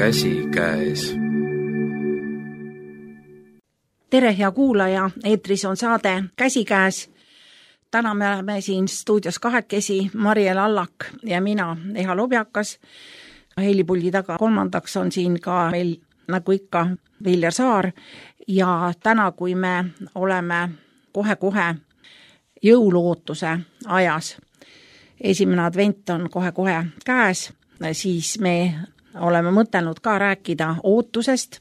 käsikäes. Tere, hea kuulaja, eetris on saade Käsikäes. Täna me oleme siin stuudios kahekesi, Mariel Allak ja mina, Eha Lobjakas. Helipuldi taga kolmandaks on siin ka meil, nagu ikka, Viljar Saar. Ja täna, kui me oleme kohe-kohe jõuluootuse ajas, esimene advent on kohe-kohe käes, siis me oleme mõtelnud ka rääkida ootusest,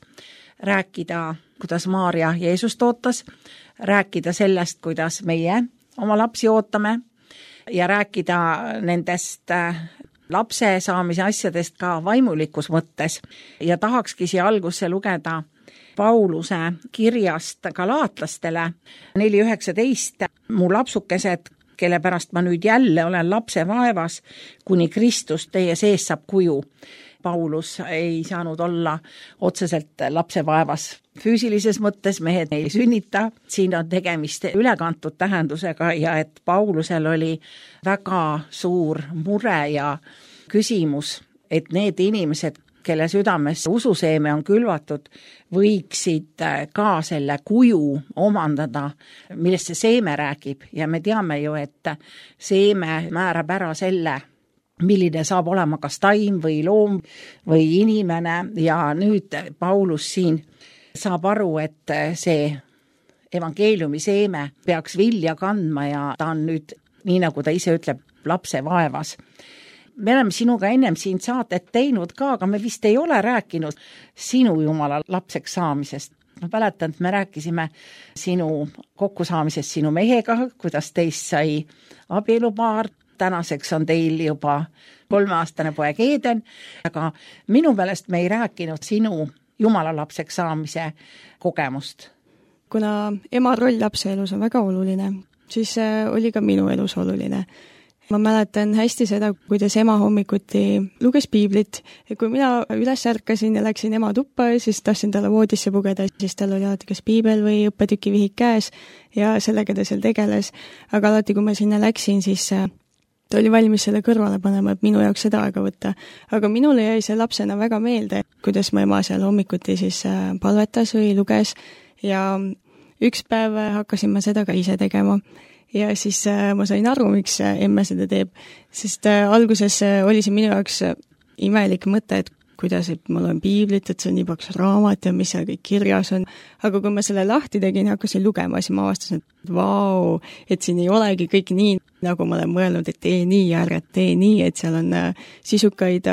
rääkida, kuidas Maarja Jeesust ootas, rääkida sellest, kuidas meie oma lapsi ootame ja rääkida nendest lapse saamise asjadest ka vaimulikus mõttes. Ja tahakski siia algusse lugeda Pauluse kirjast galaatlastele 4.19. Mu lapsukesed, kelle pärast ma nüüd jälle olen lapse vaevas, kuni Kristus teie sees saab kuju. Paulus ei saanud olla otseselt lapse vaevas füüsilises mõttes, mehed ei sünnita. Siin on tegemist ülekantud tähendusega ja et Paulusel oli väga suur mure ja küsimus, et need inimesed, kelle südames ususeeme on külvatud, võiksid ka selle kuju omandada, millest see seeme räägib. Ja me teame ju, et seeme määrab ära selle, milline saab olema kas taim või loom või inimene. Ja nüüd Paulus siin saab aru, et see evangeeliumi seeme peaks vilja kandma ja ta on nüüd, nii nagu ta ise ütleb, lapse vaevas. Me oleme sinuga ennem siin saadet teinud ka, aga me vist ei ole rääkinud sinu Jumala lapseks saamisest. Ma mäletan, et me rääkisime sinu kokkusaamisest sinu mehega, kuidas teist sai abielupaar. Tänaseks on teil juba 3-aastane poeg Eden, aga minu meelest me ei rääkinud sinu Jumala lapseks saamise kogemust. Kuna ema roll lapse elus on väga oluline, siis oli ka minu elus oluline. Ma mäletan hästi seda, kuidas ema hommikuti luges piiblit ja kui mina üles ärkasin ja läksin ema tuppa, siis tahtsin talle voodisse pugeda, siis tal oli alati kas piibel või õppetükivihik käes ja sellega ta seal tegeles. Aga alati, kui ma sinna läksin, siis ta oli valmis selle kõrvale panema, et minu jaoks seda aega võtta. Aga minule jäi see lapsena väga meelde, kuidas ma ema seal hommikuti siis palvetas või luges ja üks päev hakkasin ma seda ka ise tegema. Ja siis ma sain aru, miks emme seda teeb, sest alguses oli see minu jaoks imelik mõte, et kuidas, et ma loen piiblit, et see on nii paks raamat ja mis seal kõik kirjas on. Aga kui ma selle lahti tegin ja hakkasin lugema, siis ma avastasin, et vau, et siin ei olegi kõik nii, nagu ma olen mõelnud, et tee nii ja ärge tee nii, et seal on sisukaid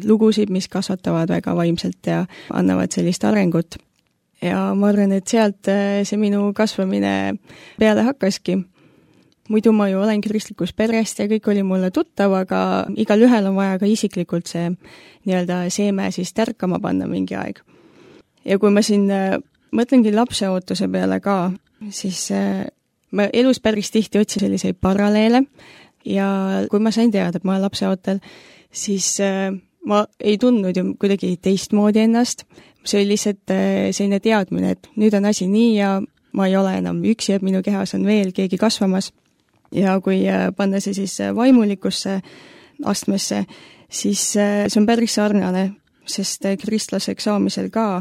lugusid, mis kasvatavad väga vaimselt ja annavad sellist arengut. Ja ma arvan, et sealt see minu kasvamine peale hakkaski. Muidu ma ju olen kristlikus perest ja kõik oli mulle tuttav, aga igal ühel on vaja ka isiklikult see nii-öelda seeme siis tärkama panna mingi aeg. Ja kui ma siin mõtlengi lapseootuse peale ka, siis ma elus päris tihti otsin selliseid paralleele ja kui ma sain teada, et ma olen lapseootel, siis ma ei tundnud ju kuidagi teistmoodi ennast. See oli lihtsalt selline teadmine, et nüüd on asi nii ja ma ei ole enam üksi, et minu kehas on veel keegi kasvamas. Ja kui panna see siis vaimulikusse astmesse, siis see on päris sarnane, sest kristlaseks saamisel ka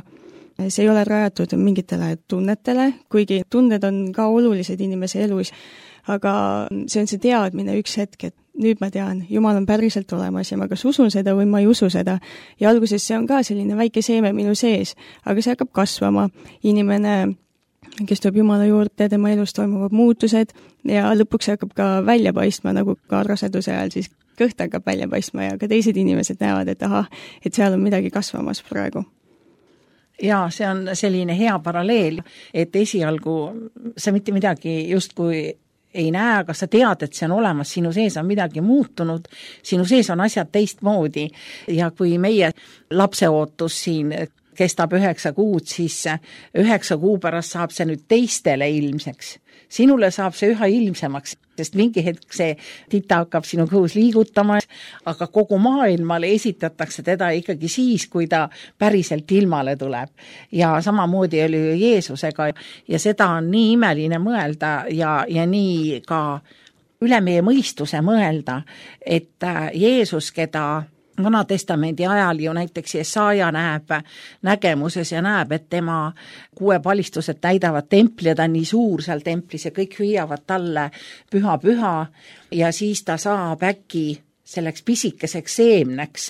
see ei ole rajatud mingitele tunnetele, kuigi tunded on ka olulised inimese elus, aga see on see teadmine üks hetk, et nüüd ma tean, Jumal on päriselt olemas ja ma kas usun seda või ma ei usu seda. Ja alguses see on ka selline väike seeme minu sees, aga see hakkab kasvama. Inimene, kes tuleb Jumala juurde, tema elus toimuvad muutused ja lõpuks hakkab ka välja paistma, nagu ka raseduse ajal siis kõht hakkab välja paistma ja ka teised inimesed näevad, et ahah, et seal on midagi kasvamas praegu. Ja see on selline hea paralleel, et esialgu sa mitte midagi justkui ei näe, aga sa tead, et see on olemas, sinu sees on midagi muutunud, sinu sees on asjad teistmoodi ja kui meie lapseootus siin kestab 9 kuud, siis 9 kuu pärast saab see nüüd teistele ilmseks. Sinule saab see üha ilmsemaks, sest mingi hetk see tita hakkab sinu kõhus liigutama, aga kogu maailmale esitatakse teda ikkagi siis, kui ta päriselt ilmale tuleb. Ja samamoodi oli Jeesusega ja seda on nii imeline mõelda ja nii ka üle meie mõistuse mõelda, et Jeesus, keda Vana-testamendi ajal ju näiteks Jesaja näeb nägemuses ja näeb, et tema kuepalistused täidavad templi ja ta on nii suur seal templis ja kõik hüüavad talle püha, püha ja siis ta saab äkki selleks pisikeseks seemneks,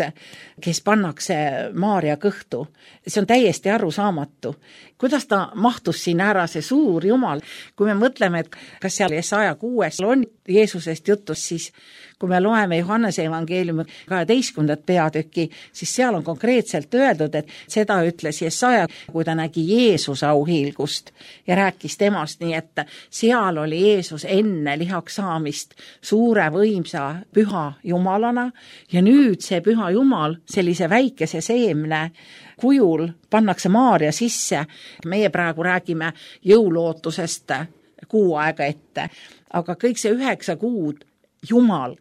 kes pannakse Maarja kõhtu. See on täiesti arusaamatu. Kuidas ta mahtus siin ära, see suur Jumal? Kui me mõtleme, et kas seal Jesaja 6 on Jeesusest jutus, siis kui me loeme Johannese evangeeliumi 12. peatükki, siis seal on konkreetselt öeldud, et seda ütles Jesaja, kui ta nägi Jeesuse auhiilgust ja rääkis temast, nii et seal oli Jeesus enne lihaks saamist suure võimsa püha Jumalana ja nüüd see püha Jumal sellise väikese seemne kujul pannakse Maarja sisse. Meie praegu räägime jõulootusest kuu aega ette, aga kõik see 9 kuud Jumal,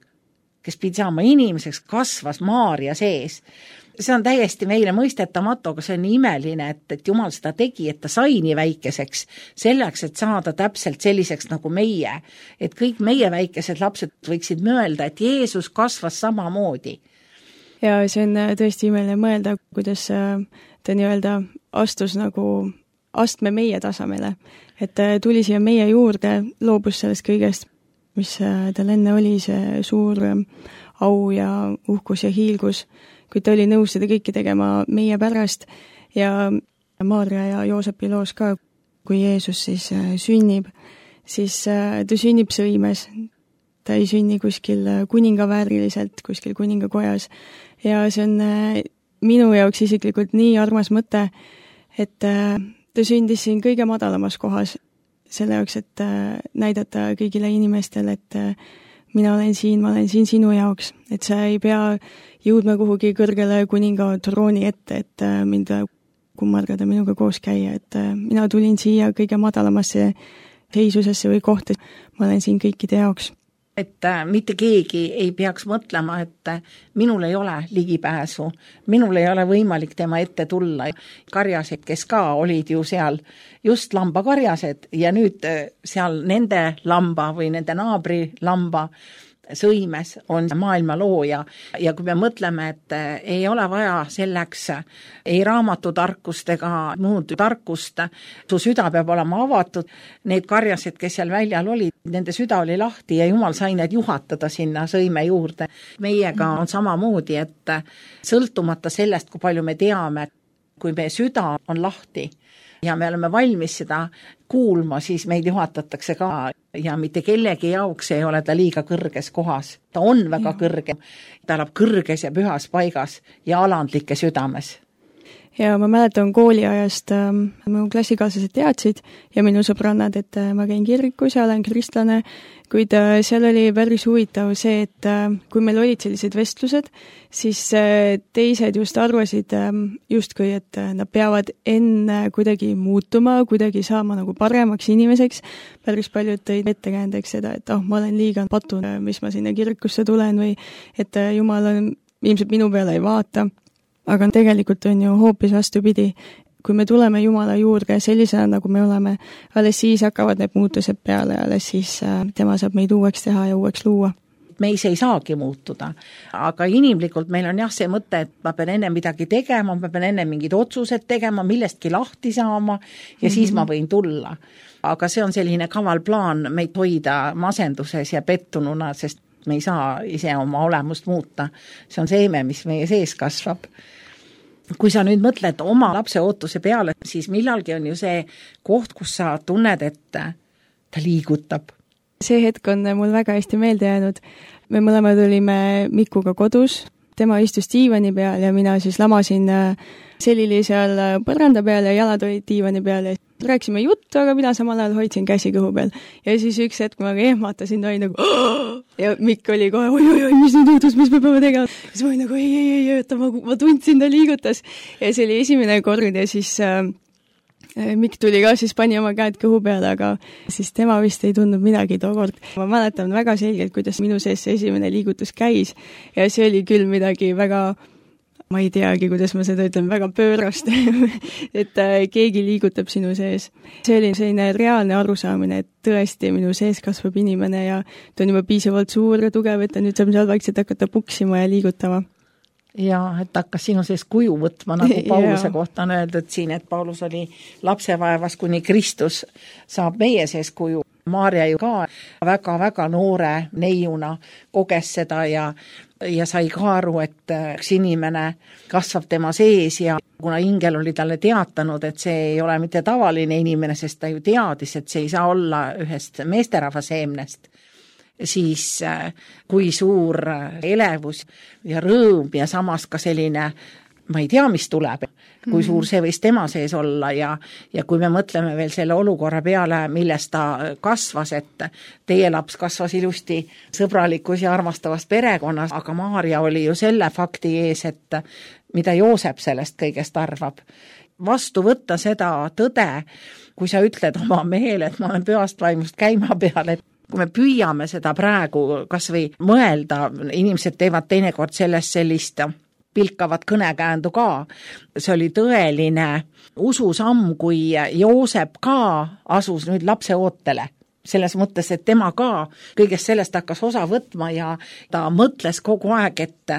kes pidi saama inimeseks, kasvas Maarja sees. See on täiesti meile mõistetamatu, aga see on nii imeline, et Jumal seda tegi, et ta sai nii väikeseks, selleks, et saada täpselt selliseks nagu meie. Et kõik meie väikesed lapsed võiksid mõelda, et Jeesus kasvas samamoodi. Ja see on tõesti imeline mõelda, kuidas ta nii-öelda astus nagu astme meie tasamele. Et tuli siia meie juurde, loobus sellest kõigest, mis tal enne oli, see suur au ja uhkus ja hiilgus, kui ta oli nõus seda kõike tegema meie pärast ja Maarja ja Joosepi loos ka, kui Jeesus siis sünnib, siis ta sünnib sõimes. Ta ei sünni kuskil kuningavääriliselt, kuskil kuningakojas ja see on minu jaoks isiklikult nii armas mõte, et ta sündis siin kõige madalamas kohas selle jaoks, et näidata kõigile inimestele, et ma olen siin sinu jaoks, et sa ei pea jõudma kuhugi kõrgele kuninga trooni ette, et mind kummardada minuga koos käia, et mina tulin siia kõige madalamasse seisusesse või kohta, ma olen siin kõikide jaoks. Et mitte keegi ei peaks mõtlema, et minul ei ole ligipääsu, minul ei ole võimalik tema ette tulla. Karjased, kes ka olid ju seal just lambakarjased ja nüüd seal nende lamba või nende naabri lamba sõimes on maailma looja ja kui me mõtleme, et ei ole vaja selleks ei raamatutarkust ega muud tarkust, su süda peab olema avatud, need karjased, kes seal väljal olid, nende süda oli lahti ja Jumal sai need juhatada sinna sõime juurde. Meiega on samamoodi, et sõltumata sellest, kui palju me teame, kui meie süda on lahti ja me oleme valmis seda kuulma, siis meid juhatatakse ka ja mitte kellegi jaoks ei ole ta liiga kõrges kohas. Ta on väga kõrge, ta elab kõrges ja pühas paigas ja alandlike südames. Ja ma mäletan kooliajast, mu klassikaaslased teadsid ja minu sõbrannad, et ma käin kirikus ja olen kristlane, kuid seal oli päris huvitav see, et kui meil olid sellised vestlused, siis teised just arvasid justkui, et nad peavad enne kuidagi muutuma, kuidagi saama nagu paremaks inimeseks. Päris paljud tõid ettekäändeks seda, et ma olen liiga patu, mis ma sinna kirikusse tulen või et Jumal on ilmselt minu peale ei vaata. Aga tegelikult on ju hoopis vastupidi. Kui me tuleme Jumala juurde sellisena, nagu me oleme, alles siis hakkavad need muutused peale ja alles siis tema saab meid uueks teha ja uueks luua. Meis ei saagi muutuda, aga inimlikult meil on jah see mõte, et ma pean enne midagi tegema, ma pean enne mingid otsused tegema, millestki lahti saama ja siis ma võin tulla. Aga see on selline kaval plaan meid hoida masenduses ja pettununa, sest me ei saa ise oma olemust muuta. See on seeme, mis meie sees kasvab. Kui sa nüüd mõtled oma lapse ootuse peale, siis millalgi on ju see koht, kus sa tunned, et ta liigutab. See hetk on mul väga hästi meelde jäänud. Me mõlemad olime Mikuga kodus, tema istus diivani peal ja mina siis lamasin selili seal põranda peal ja jalad olid diivani peal ja rääksime juttu, aga mina samal ajal hoidsin käsi kõhu peal. Ja siis üks hetk ma ehmatasin, ta oli nagu ja Mikk oli kohe, oi, mis nüüd juhtus, mis me peame tegema. Siis ma olin nagu, ei, ma tundsin, ta liigutas. Ja see oli esimene kord ja siis Mikk tuli ka, siis pani oma käed kõhu peale, aga siis tema vist ei tundnud midagi tookord. Ma mäletan väga selgelt, kuidas minu sees see esimene liigutus käis ja see oli küll midagi väga, ma ei teagi, kuidas ma seda ütlen, väga pöörast, et keegi liigutab sinu sees. See oli selline reaalne arusaamine, et tõesti minu sees kasvab inimene ja ta on juba piisavalt suur ja tugev, et ta nüüd saab seal vaikselt hakata puksima ja liigutama. ja et hakkas sinu sees kuju võtma, nagu Pauluse kohta on öeldud siin, et Paulus oli lapsevaevas, kuni Kristus saab meie sees kuju. Maarja ju ka väga-väga noore neiuna koges seda ja sai ka aru, et üks inimene kasvab tema sees ja kuna ingel oli talle teatanud, et see ei ole mitte tavaline inimene, sest ta ju teadis, et see ei saa olla ühest meesterahva seemnest, siis kui suur elevus ja rõõm ja samas ka selline, ma ei tea, mis tuleb, kui suur see võis tema sees olla ja kui me mõtleme veel selle olukorra peale, millest ta kasvas, et teie laps kasvas ilusti sõbralikus ja armastavas perekonnas, aga Maarja oli ju selle fakti ees, et mida Joosep sellest kõigest arvab. Vastu võtta seda tõde, kui sa ütled oma mehele, et ma olen pühast vaimust käima peal, et kui me püüame seda praegu kas või mõelda, inimesed teevad teinekord sellest sellist pilkavat kõnekäändu ka. See oli tõeline ususamm, kui Joosep ka asus nüüd lapse ootele. Selles mõttes, et tema ka kõigest sellest hakkas osa võtma ja ta mõtles kogu aeg, et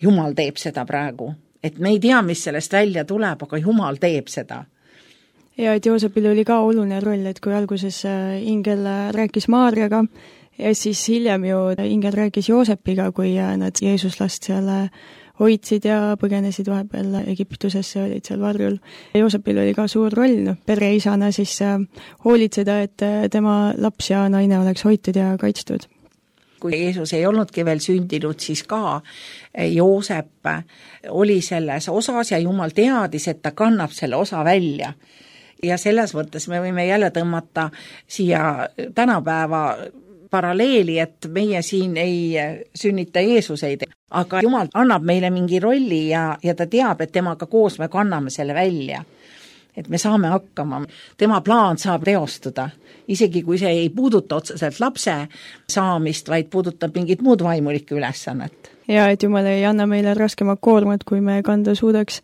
Jumal teeb seda praegu. Et me ei tea, mis sellest välja tuleb, aga Jumal teeb seda. Ja et Joosepil oli ka oluline roll, et kui alguses ingel rääkis Maarjaga ja siis hiljem ju ingel rääkis Joosepiga, kui nad Jeesuslast seal hoidsid ja põgenesid vahepeal Egiptusesse, olid seal varjul. Joosepil oli ka suur roll pereisana siis hoolitseda, et tema laps ja naine oleks hoitud ja kaitstud. Kui Jeesus ei olnudki veel sündinud, siis ka Joosep oli selles osas ja Jumal teadis, et ta kannab selle osa välja. Ja selles mõttes me võime jälle tõmmata siia tänapäeva paralleeli, et meie siin ei sünnita Jeesuseid, aga Jumal annab meile mingi rolli ja ta teab, et temaga koos me kanname selle välja. Et me saame hakkama. Tema plaan saab teostuda, isegi kui see ei puuduta otseselt lapse saamist, vaid puudutab mingit muud vaimulikku ülesannet. Ja et Jumal ei anna meile raskemat koormat, kui me kanda suudaks.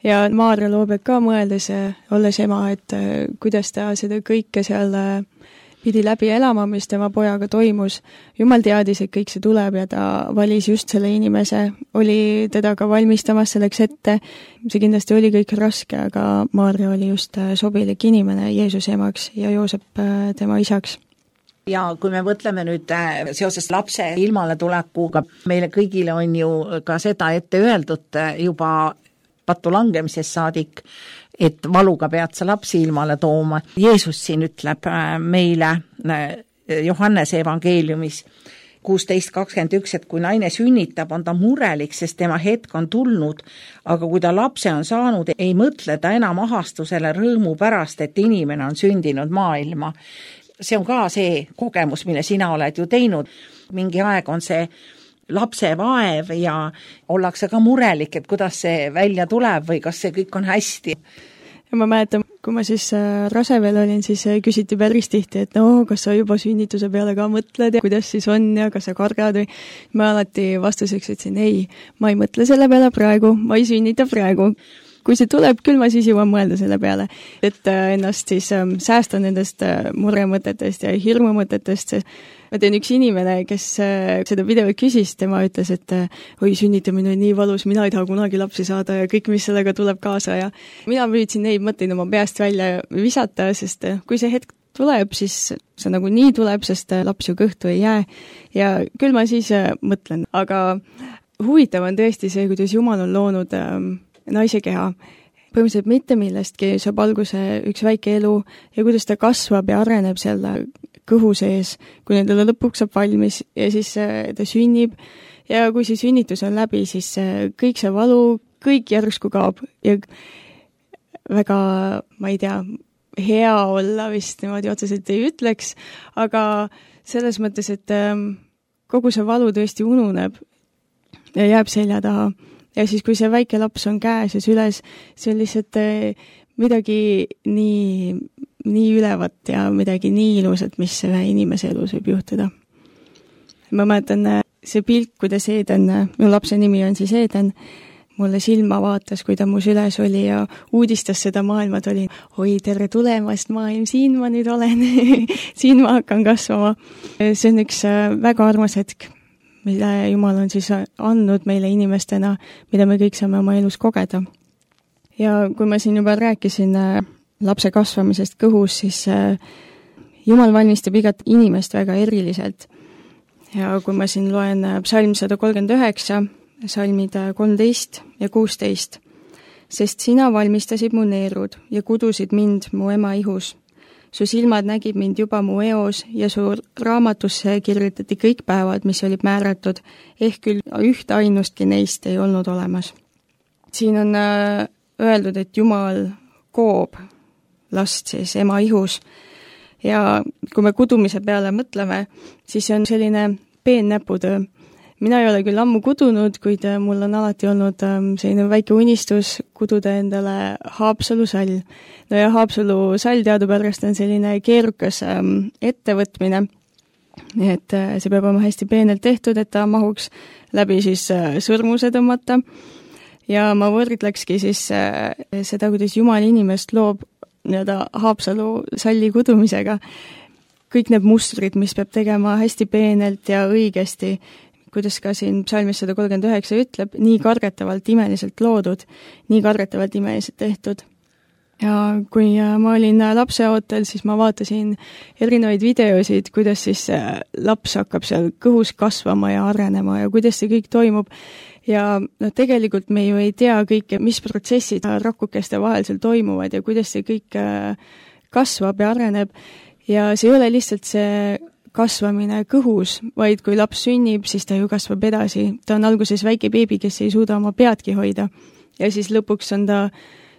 Ja Maarja Loobek ka mõeldes, olles ema, et kuidas ta seda kõike seal pidi läbi elama, mis tema pojaga toimus. Jumal teadis, et kõik see tuleb ja ta valis just selle inimese, oli teda ka valmistamas selleks ette. See kindlasti oli kõik raske, aga Maarja oli just sobilik inimene Jeesuse emaks ja Joosep tema isaks. Ja kui me mõtleme nüüd seoses lapse ilmale tulekuga, meile kõigile on ju ka seda ette öeldud juba patu langemisest saadik, et valuga pead sa lapsi ilmale tooma. Jeesus siin ütleb meile Johannese evangeeliumis 16:21, et kui naine sünnitab, on ta murelik, sest tema hetk on tulnud, aga kui ta lapse on saanud, ei mõtle ta enam ahastusele rõõmu pärast, et inimene on sündinud maailma. See on ka see kogemus, mille sina oled ju teinud. Mingi aeg on see lapse vaev ja ollakse ka murelik, et kuidas see välja tuleb või kas see kõik on hästi. Ja ma mäletan, kui ma siis rase veel olin, siis küsiti päris tihti, et no, kas sa juba sünnituse peale ka mõtled ja kuidas siis on ja kas sa kardad või. Ma alati vastuseks ütlesin, ei, ma ei mõtle selle peale praegu, ma ei sünnita praegu. Kui see tuleb, küll ma siis jõuan mõelda selle peale, et ennast siis säästa nendest muremõtetest ja hirmumõtetest. Ma teen üks inimene, kes seda videot küsis, tema ütles, et oi, sünnitamine on nii valus, mina ei taha kunagi lapsi saada ja kõik, mis sellega tuleb kaasa. Ja mina püüdsin neid mõtteid oma peast välja visata, sest kui see hetk tuleb, siis see nagu nii tuleb, sest laps ju kõhtu ei jää. Ja küll ma siis mõtlen, aga huvitav on tõesti see, kuidas Jumal on loonud naise keha. Põhimõtteliselt mitte millestki saab alguse üks väike elu ja kuidas ta kasvab ja areneb selle kõhu sees, kui nendele lõpuks saab valmis ja siis ta sünnib ja kui see sünnitus on läbi, siis kõik see valu, kõik järsku kaob ja väga, ma ei tea, hea olla vist niimoodi otseselt ei ütleks, aga selles mõttes, et kogu see valu tõesti ununeb ja jääb selja taha. Ja siis, kui see väike laps on käes ja süles, see on lihtsalt midagi nii ülevat ja midagi nii ilusat, mis ühe inimese elus võib juhtuda. Ma mäletan see pilt, kuidas Eeden, minu lapse nimi on siis Eeden, mulle silma vaatas, kui ta mu süles oli ja uudistas seda maailma, ta oli, oi, tere tulemast maailm, siin ma nüüd olen, siin ma hakkan kasvama. See on üks väga armas hetk. mille Jumal on siis andnud meile inimestena, mida me kõik saame oma elus kogeda. Ja kui ma siin juba rääkisin lapse kasvamisest kõhus, siis Jumal valmistab igat inimest väga eriliselt. Ja kui ma siin loen psalm 139, salmid 13 ja 16, sest sina valmistasid mu neerud ja kudusid mind mu ema ihus. Su silmad nägid mind juba mu eos ja su raamatusse kirjutati kõik päevad, mis olid määratud, ehk küll üht ainustki neist ei olnud olemas. Siin on öeldud, et Jumal koob last siis ema ihus ja kui me kudumise peale mõtleme, siis see on selline peennäputöö. Mina ei ole küll ammu kudunud, kuid mul on alati olnud selline väike unistus kududa endale Haapsalu sall. No ja Haapsalu sall teadupärast on selline keerukas ettevõtmine, et see peab olema hästi peenelt tehtud, et ta mahuks läbi siis sõrmuse tõmmata. Ja ma võrdlekski siis seda, kuidas Jumal inimest loob Haapsalu salli kudumisega. Kõik need mustrid, mis peab tegema hästi peenelt ja õigesti, kuidas ka siin psalmis 139 ütleb, nii kargetavalt imeliselt loodud, nii kargetavalt imeliselt tehtud. Ja kui ma olin lapseootel, siis ma vaatasin erinevaid videosid, kuidas siis laps hakkab seal kõhus kasvama ja arenema ja kuidas see kõik toimub. Ja tegelikult me ju ei tea kõike, mis protsessid rakukeste vahel seal toimuvad ja kuidas see kõik kasvab ja areneb. Ja see ei ole lihtsalt see kasvamine kõhus, vaid kui laps sünnib, siis ta ju kasvab edasi. Ta on alguses väike beebi, kes ei suuda oma peadki hoida. Ja siis lõpuks on ta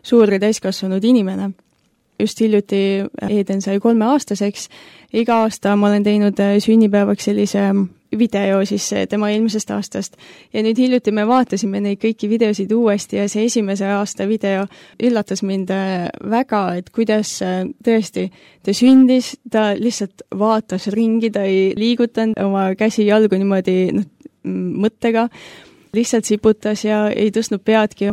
suur ja täiskasvanud inimene. Just hiljuti Eden sai 3-aastaseks. Iga aasta ma olen teinud sünnipäevaks sellise video siis tema eelmisest aastast. Ja nüüd hiljuti me vaatasime neid kõiki videosid uuesti ja see esimese aasta video üllatas mind väga, et kuidas tõesti ta sündis, ta lihtsalt vaatas ringi, ta ei liigutanud oma käsi jalgu niimoodi mõttega, lihtsalt siputas ja ei tõstnud peadki.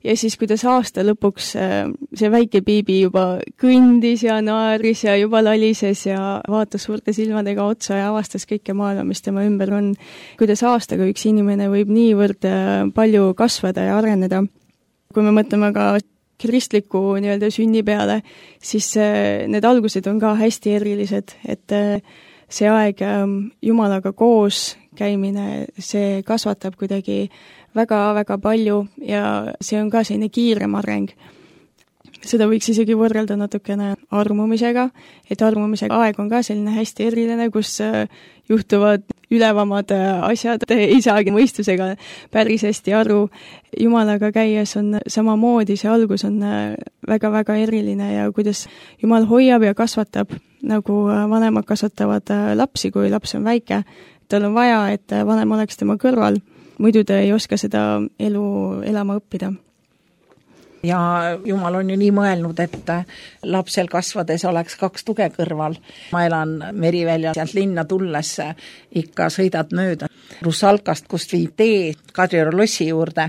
Ja siis, kuidas aasta lõpuks see väike beebi juba kõndis ja naeris ja juba lalises ja vaatas suurte silmadega otsa ja avastas kõike maailma, mis tema ümber on. Kuidas aastaga üks inimene võib niivõrd palju kasvada ja areneda. Kui me mõtleme ka kristliku sünni peale, siis need algused on ka hästi erilised, et see aeg Jumalaga koos käimine, see kasvatab kuidagi väga-väga palju ja see on ka selline kiirem areng. Seda võiks isegi võrrelda natukene armumisega, et armumise aeg on ka selline hästi eriline, kus juhtuvad ülevamad asjad, ei saagi mõistusega päris hästi aru. Jumalaga käies on samamoodi, see algus on väga-väga eriline ja kuidas Jumal hoiab ja kasvatab, nagu vanemad kasvatavad lapsi, kui laps on väike. Tal on vaja, et vanem oleks tema kõrval. Muidu ta ei oska seda elu elama õppida. Ja Jumal on ju nii mõelnud, et lapsel kasvades oleks 2 tuge kõrval. Ma elan Merivälja sealt linna tulles, ikka sõidad mööda Russalkast, kust viib tee Kadrioru lossi juurde.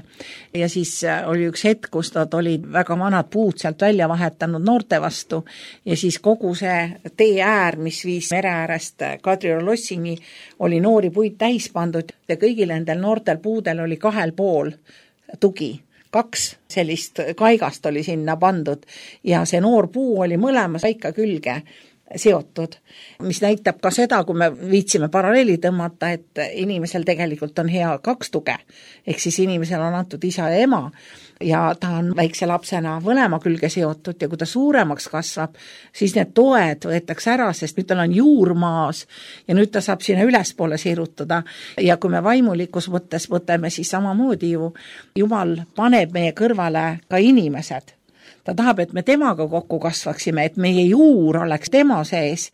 Ja siis oli üks hetk, kus nad olid väga vanad puud sealt välja vahetanud noorte vastu. Ja siis kogu see tee äär, mis viis mere äärest Kadrioru lossini, oli noori puid täis pandud ja kõigil nendel noortel puudel oli 2 pool tugi. 2 sellist kaigast oli sinna pandud ja see noor puu oli mõlemas väika külge seotud, mis näitab ka seda, kui me viitsime paralleeli tõmmata, et inimesel tegelikult on hea 2 tuge, ehk siis inimesel on antud isa ja ema ja ta on väikse lapsena mõlema külge seotud ja kui ta suuremaks kasvab, siis need toed võetakse ära, sest nüüd tal on juurmaas ja nüüd ta saab sinna ülespoole sirutada ja kui me vaimulikus mõttes võtame, siis samamoodi ju Jumal paneb meie kõrvale ka inimesed. Ta tahab, et me temaga kokku kasvaksime, et meie juur oleks tema sees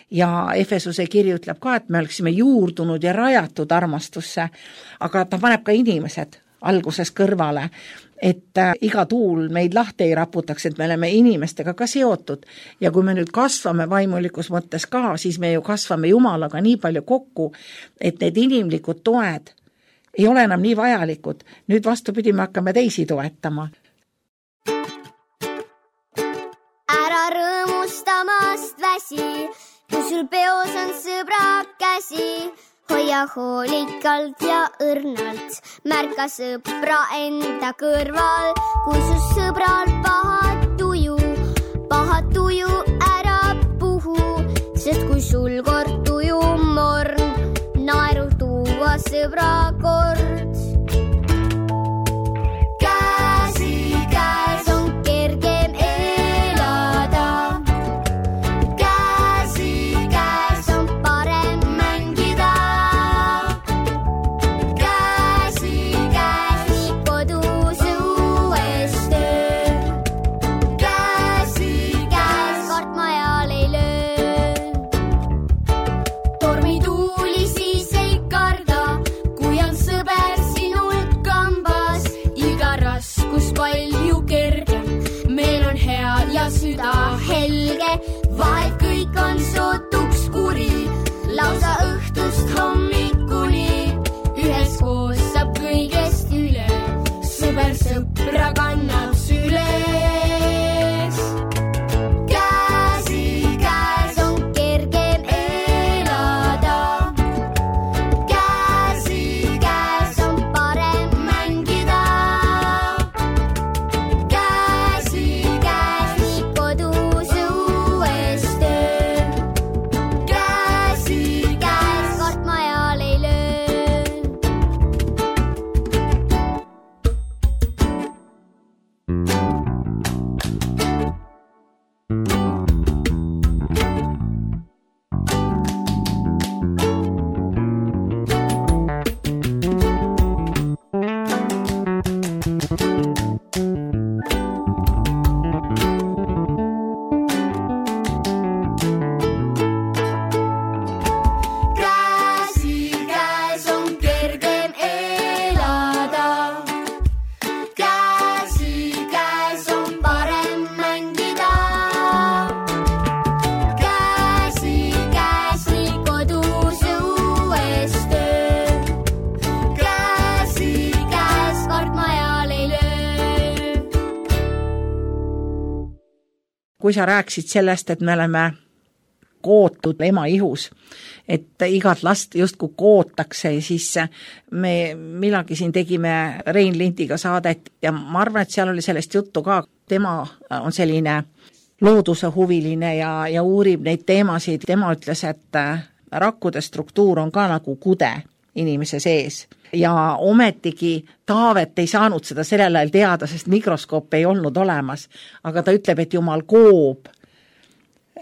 ja Efesuse kiri ütleb ka, et me oleksime juurdunud ja rajatud armastusse, aga ta paneb ka inimesed alguses kõrvale, et iga tuul meid lahti ei raputaks, et me oleme inimestega ka seotud ja kui me nüüd kasvame vaimulikus mõttes ka, siis me ju kasvame Jumalaga nii palju kokku, et need inimlikud toed ei ole enam nii vajalikud. Nüüd vastupidi, me hakkame teisi toetama. Rõõmustamast väsi, kui sul peos on sõbra käsi, hoia hoolikalt ja õrnalt, märka sõpra enda kõrval, kui su sõbral paha tuju ära puhu, sest kui sul kord tuju morn, naeru tuua sõbra kord. Käsikäes on kergem elada, käsikäes on parem mängida, käsikäes nii kodus õues töö, käsikäes kartmajal ei löö. Tormituuli siis ei karda, kui on sõber sinul kambas, iga raskus palju kergem, meil on hea ja süda helge, vaid kõik on sootuks kuri, lausa õhtust hommikuni, üheskoos saab kõigest üle, sõber sõpra kannab süles. Käsikäes on kergem elada, käsikäes on parem mängida, käsikäes nii kodus õues töö, käsikäes kartmajal ei löö. Käsikäes on kergem elada, käsikäes on parem mängida, käsikäes nii kodus õues töö, käsikäes kartmajal ei löö. kui sa rääkisid sellest, et me oleme kootud ema ihus, et igat last justkui kootakse, siis me millalgi siin tegime Rein Lindiga saadet ja ma arvan, et seal oli sellest juttu ka. Tema on selline looduse huviline ja uurib neid teemasid. Tema ütles, et rakkude struktuur on ka nagu kude inimese sees. Ja ometigi Taavet ei saanud seda sellel ajal teada, sest mikroskoop ei olnud olemas. Aga ta ütleb, et Jumal koob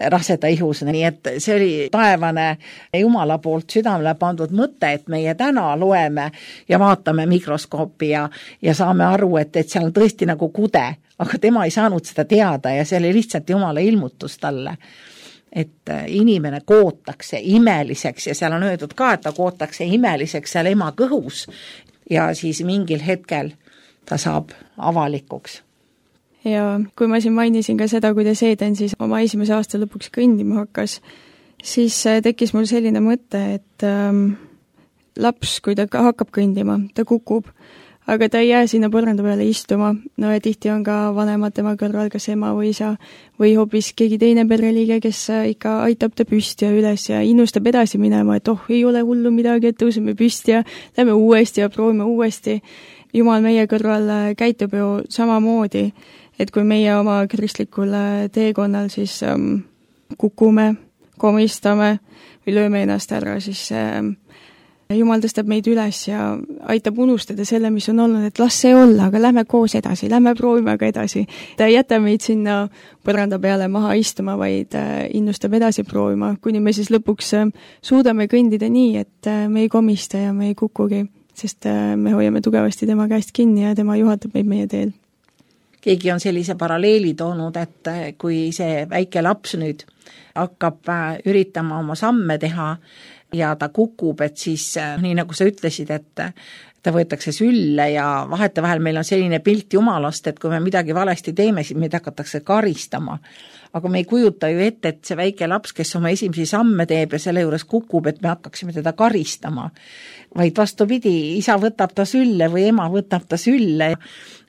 raseda ihus, nii et see oli taevane Jumala poolt südamele pandud mõte, et meie täna loeme ja vaatame mikroskoopi ja saame aru, et seal on tõesti nagu kude, aga tema ei saanud seda teada ja see oli lihtsalt Jumala ilmutus talle, et inimene kootakse imeliseks ja seal on öeldud ka, et ta kootakse imeliseks seal ema kõhus ja siis mingil hetkel ta saab avalikuks. Ja kui ma siin mainisin ka seda, kuidas Eden siis oma esimese aasta lõpuks kõndima hakkas, siis tekkis mul selline mõte, et laps, kui ta hakkab kõndima, ta kukub, aga ta ei jää sinna põranda peale istuma. No ja tihti on ka vanemad tema kõrval, kas ema või isa või hoopis keegi teine pereliige, kes ikka aitab ta püsti ja üles ja innustab edasi minema, et ei ole hullu midagi, et tõuseme püsti ja lähme uuesti ja proovime uuesti. Jumal meie kõrval käitub ju samamoodi, et kui meie oma kristlikul teekonnal siis kukume, komistame või lööme ennast ära, siis Jumal tõstab meid üles ja aitab unustada selle, mis on olnud, et las see olla, aga lähme koos edasi, lähme proovime ka edasi. Ta ei jäta meid sinna põranda peale maha istuma, vaid innustab edasi proovima, kuni me siis lõpuks suudame kõndida nii, et me ei komista ja me ei kukugi, sest me hoiame tugevasti tema käest kinni ja tema juhatab meid meie teel. Keegi on sellise paralleeli toonud, et kui see väike laps nüüd hakkab üritama oma samme teha ja ta kukub, et siis nii nagu sa ütlesid, et ta võetakse sülle ja vahetevahel meil on selline pilt Jumalast, et kui me midagi valesti teeme, siis meid hakatakse karistama. Aga me ei kujuta ju ette, et see väike laps, kes oma esimesi samme teeb ja selle juures kukub, et me hakkaksime teda karistama. Vaid vastupidi, isa võtab ta sülle või ema võtab ta sülle.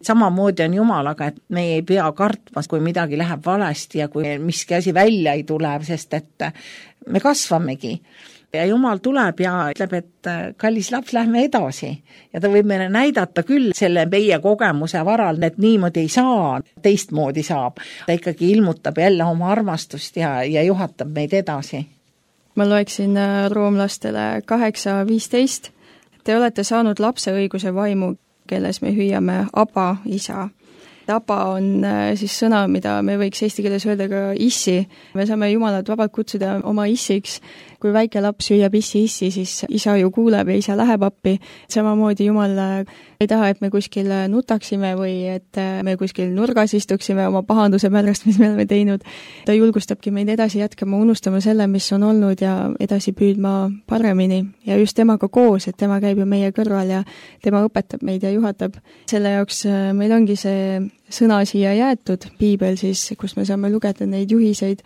Samamoodi on Jumalaga, et me ei pea kartma, kui midagi läheb valesti ja kui miski asi välja ei tule, sest et me kasvamegi. ja Jumal tuleb ja ütleb, et kallis laps, lähme edasi. Ja ta võib meile näidata küll selle meie kogemuse varal, et niimoodi ei saa, teistmoodi saab. Ta ikkagi ilmutab jälle oma armastust ja juhatab meid edasi. Ma loeksin roomlastele 8:15. Te olete saanud lapse õiguse vaimu, kelles me hüüame Aba, isa. Aba on siis sõna, mida me võiks eesti keeles öelda ka issi. Me saame Jumalat vabalt kutsuda oma issiks. Kui väike laps hüüab issi, siis isa ju kuuleb ja isa läheb appi. Samamoodi Jumal ei taha, et me kuskil nutaksime või et me kuskil nurgas istuksime oma pahanduse pärast, mis me oleme teinud. Ta julgustabki meid edasi jätkama, unustama selle, mis on olnud ja edasi püüdma paremini. Ja just temaga koos, et tema käib ju meie kõrval ja tema õpetab meid ja juhatab. Selle jaoks meil ongi see sõna siia jäetud, piibel siis, kus me saame lugeda neid juhiseid,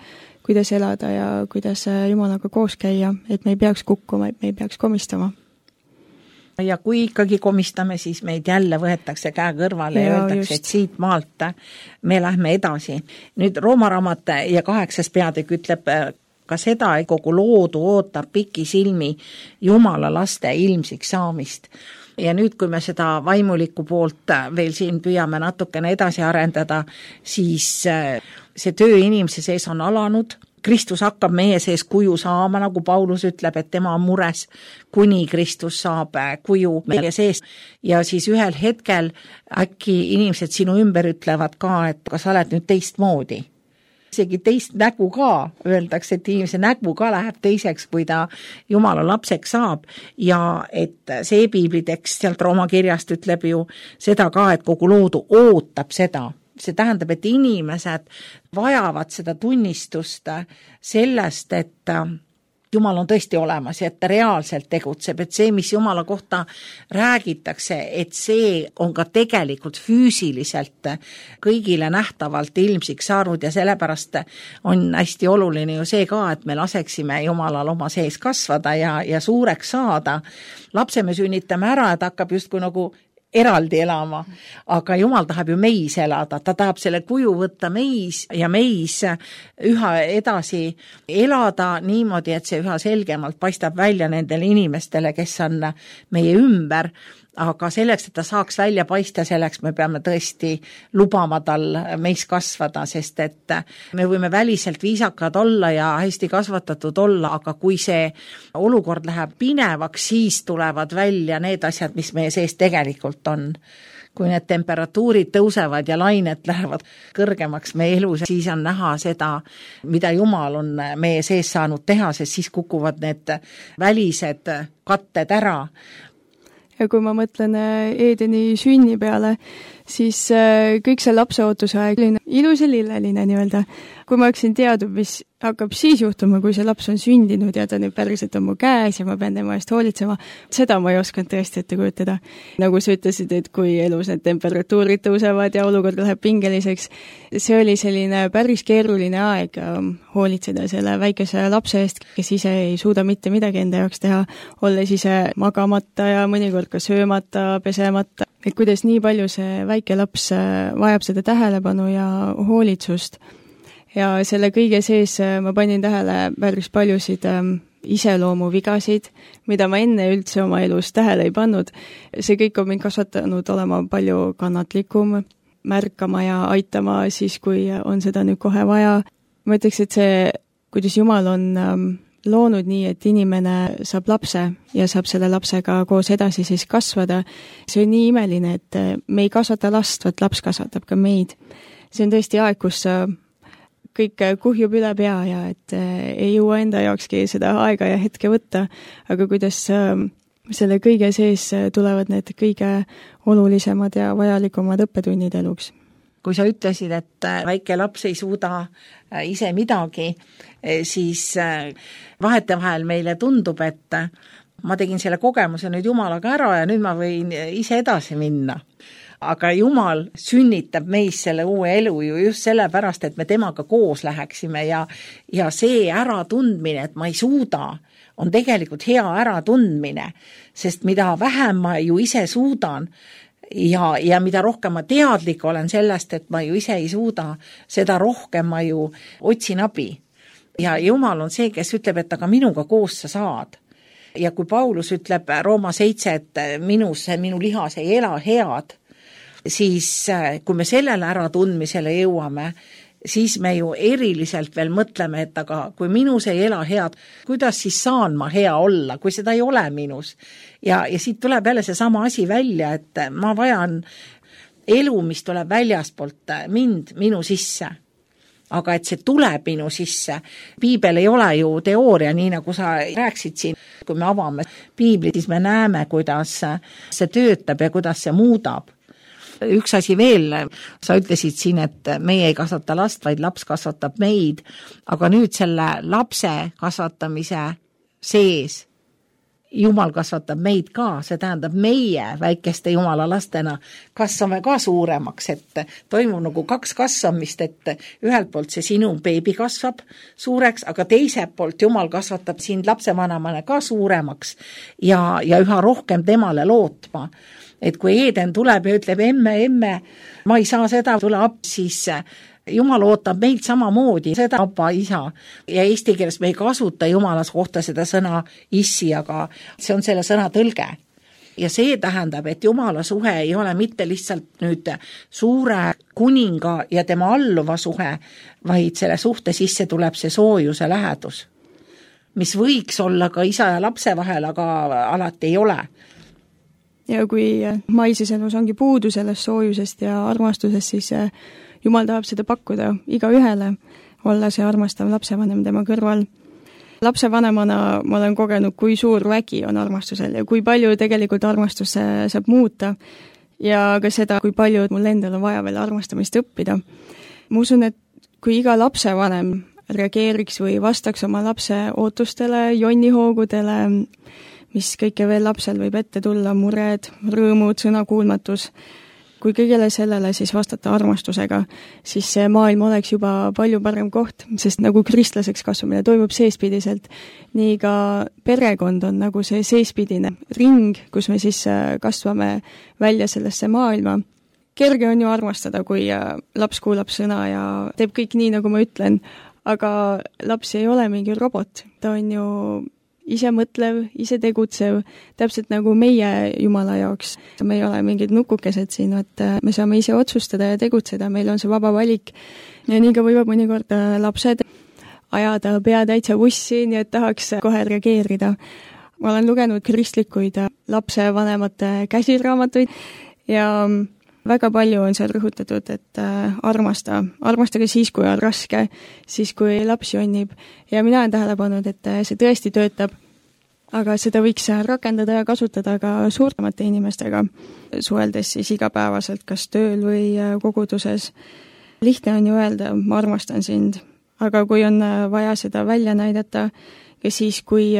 kuidas elada ja kuidas Jumalaga koos käia, et me ei peaks kukkuma, et me ei peaks komistama. Ja kui ikkagi komistame, siis meid jälle võetakse käe kõrvale ja öeldakse, et siit maalt me lähme edasi. Nüüd Rooma raamat ja 8. peatükk ütleb ka seda, et kogu loodu ootab pikisilmi Jumala laste ilmsiks saamist. Ja nüüd, kui me seda vaimulikku poolt veel siin püüame natukene edasi arendada, siis see töö inimese sees on alanud. Kristus hakkab meie sees kuju saama, nagu Paulus ütleb, et tema on mures, kuni Kristus saab kuju meie sees. Ja siis ühel hetkel äkki inimesed sinu ümber ütlevad ka, et kas sa oled nüüd teistmoodi. Isegi teist nägu ka, öeldakse, et inimese nägu ka läheb teiseks, kui ta Jumala lapseks saab. Ja et see piiblitekst sealt Rooma kirjast ütleb ju seda ka, et kogu loodu ootab seda. See tähendab, et inimesed vajavad seda tunnistust sellest, et Jumal on tõesti olemas ja et ta reaalselt tegutseb, et see, mis Jumala kohta räägitakse, et see on ka tegelikult füüsiliselt kõigile nähtavalt ilmsiks saanud ja sellepärast on hästi oluline ju see ka, et me laseksime Jumalal oma sees kasvada ja suureks saada. Lapse me sünnitame ära, et hakkab justkui nagu eraldi elama, aga Jumal tahab ju meis elada, ta tahab selle kuju võtta meis ja meis üha edasi elada niimoodi, et see üha selgemalt paistab välja nendele inimestele, kes on meie ümber, aga selleks, et ta saaks välja paista, selleks me peame tõesti lubama tal meis kasvada, sest et me võime väliselt viisakad olla ja hästi kasvatatud olla, aga kui see olukord läheb pinevaks, siis tulevad välja need asjad, mis meie sees tegelikult on. Kui need temperatuurid tõusevad ja lained lähevad kõrgemaks meie elus, siis on näha seda, mida Jumal on meie sees saanud teha, sest siis kukuvad need välised katted ära. Ja kui ma mõtlen Eedeni sünni peale, siis kõik see lapseootuse aeg oli ilus ja lilleline nii-öelda. Kui ma oleksin teadnud, mis hakkab siis juhtuma, kui see laps on sündinud ja ta nüüd päriselt on mu käes ja ma pean tema eest hoolitsema, seda ma ei osanud tõesti ette kujutada. Nagu sa ütlesid, et kui elus need temperatuurid tõusevad ja olukord läheb pingeliseks, see oli selline päris keeruline aeg hoolitseda selle väikese lapse eest, kes ise ei suuda mitte midagi enda jaoks teha, olles ise magamata ja mõnikord ka söömata, pesemata. Et kuidas nii palju see väike laps vajab seda tähelepanu ja hoolitsust. Ja selle kõige sees ma panin tähele päris paljusid iseloomuvigasid, mida ma enne üldse oma elus tähele ei pannud. See kõik on mind kasvatanud olema palju kannatlikum, märkama ja aitama siis, kui on seda nüüd kohe vaja. Ma ütleks, et see, kuidas Jumal on loonud nii, et inimene saab lapse ja saab selle lapsega koos edasi siis kasvada. See on nii imeline, et me ei kasvata last, vaid laps kasvatab ka meid. See on tõesti aeg, kus kõik kuhjub üle pea ja et ei jõua enda jaokski seda aega ja hetke võtta, aga kuidas selle kõige sees tulevad need kõige olulisemad ja vajalikumad õppetunnid eluks. Kui sa ütlesid, et väike laps ei suuda ise midagi, siis vahetevahel meile tundub, et ma tegin selle kogemuse nüüd Jumalaga ära ja nüüd ma võin ise edasi minna. Aga Jumal sünnitab meis selle uue elu ju just sellepärast, et me temaga koos läheksime ja see äratundmine, et ma ei suuda, on tegelikult hea äratundmine, sest mida vähem ma ju ise suudan ja mida rohkem ma teadlik olen sellest, et ma ju ise ei suuda, seda rohkem ma ju otsin abi. ja Jumal on see, kes ütleb, et aga minuga koos sa saad. Ja kui Paulus ütleb Rooma 7, et minu lihas ei ela head, siis kui me sellele äratundmisele jõuame, siis me ju eriliselt veel mõtleme, et aga kui minus ei ela head, kuidas siis saan ma hea olla, kui seda ei ole minus. Ja siit tuleb jälle see sama asi välja, et ma vajan elu, mis tuleb väljaspoolt minu sisse. Aga et see tuleb minu sisse. Piibel ei ole ju teooria, nii nagu sa rääksid siin. Kui me avame piiblit, siis me näeme, kuidas see töötab ja kuidas see muudab. Üks asi veel, sa ütlesid siin, et meie ei kasvata last, vaid laps kasvatab meid, aga nüüd selle lapse kasvatamise sees Jumal kasvatab meid ka, see tähendab meie väikeste Jumala lastena kasvame ka suuremaks, et toimub nagu 2 kasvamist, et ühelt poolt see sinu beebi kasvab suureks, aga teiselt poolt Jumal kasvatab sind lapsevanemana ka suuremaks ja üha rohkem temale lootma. Et kui Eeden tuleb ja ütleb, emme, ma ei saa seda, tule ab, siis Jumal ootab meid samamoodi, seda appa, isa. Ja eesti keeles me ei kasuta Jumalas kohta seda sõna issi, aga see on selle sõna tõlge. Ja see tähendab, et Jumala suhe ei ole mitte lihtsalt nüüd suure kuninga ja tema alluva suhe, vaid selle suhte sisse tuleb see soojuse lähedus, mis võiks olla ka isa ja lapse vahel, aga alati ei ole. Ja kui maises elus ongi puudu sellest soojusest ja armastusest, siis Jumal tahab seda pakkuda iga ühele, olla see armastav lapsevanem tema kõrval. Lapsevanemana ma olen kogenud, kui suur vägi on armastusel ja kui palju tegelikult armastus saab muuta ja ka seda, kui palju mul endal on vaja veel armastamist õppida. Ma usun, et kui iga lapsevanem reageeriks või vastaks oma lapse ootustele, jonnihoogudele, mis kõike veel lapsel võib ette tulla, mured, rõõmud, sõnakuulmatus. Kui kõigele sellele siis vastata armastusega, siis see maailm oleks juba palju parem koht, sest nagu kristlaseks kasvamine toimub seespidiselt, nii ka perekond on nagu see seespidine ring, kus me siis kasvame välja sellesse maailma. Kerge on ju armastada, kui laps kuulab sõna ja teeb kõik nii, nagu ma ütlen, aga laps ei ole mingi robot, ta on ju ise mõtlev, ise tegutsev, täpselt nagu meie Jumala jaoks. Me ei ole mingid nukukesed siin, et me saame ise otsustada ja tegutseda, meil on see vaba valik. Ja nii ka võivad mõnikord lapsed ajada pea täitsa bussi, nii et tahaks kohe reageerida. Ma olen lugenud kristlikuid lapsevanemate käsiraamatuid ja väga palju on seal rõhutatud, et armastage siis, kui on raske, siis kui laps jonnib. Ja mina olen tähele pannud, et see tõesti töötab, aga seda võiks rakendada ja kasutada ka suuremate inimestega, suheldes siis igapäevaselt, kas tööl või koguduses. Lihtne on ju öelda, ma armastan sind, aga kui on vaja seda välja näidata, ja siis, kui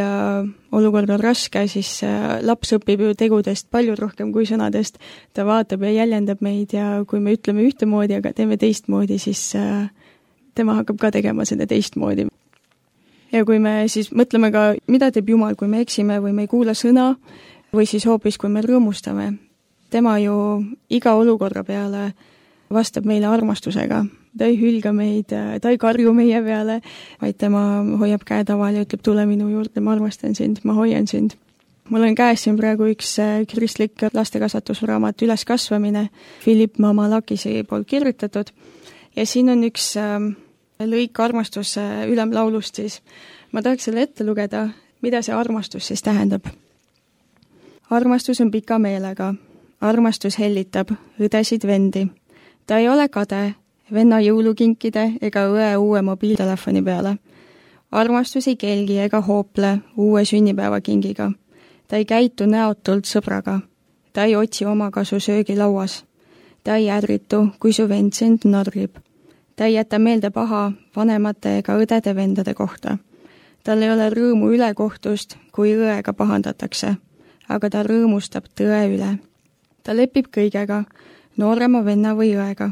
olukord on raske, siis laps õpib ju tegudest palju rohkem kui sõnadest. Ta vaatab ja jäljendab meid ja kui me ütleme ühtemoodi, aga teeme teistmoodi, siis tema hakkab ka tegema seda teistmoodi. Ja kui me siis mõtleme ka, mida teeb Jumal, kui me eksime või me ei kuula sõna, või siis hoopis, kui me rõõmustame. Tema ju iga olukorra peale vastab meile armastusega. Ta ei hülga meid, ta ei karju meie peale, vaid tema hoiab käe taval ja ütleb, tule minu juurde, ma armastan sind, ma hoian sind. Mul on käes siin praegu üks kristlik lastekasvatusraamat Üleskasvamine, Philip Mamalakisi poolt kirjutatud. Ja siin on üks lõik armastuse ülemlaulust siis. Ma tahaks selle ette lugeda, mida see armastus siis tähendab. Armastus on pika meelega, armastus hellitab õdesid vendi. Ta ei ole kade, venna jõulukinkide ega õe uue mobiiltelefoni peale. Armastus ei kelgi ega hoople uue sünnipäevakingiga. Ta ei käitu näotult sõbraga. Ta ei otsi omakasu söögilauas. Ta ei ärritu, kui su vend sind narrib. Ta ei jäta meelde paha vanemate ega õdede vendade kohta. Tal ei ole rõõmu ülekohtust, kui õega pahandatakse, aga ta rõõmustab tõe üle. Ta lepib kõigega, noorema venna või õega.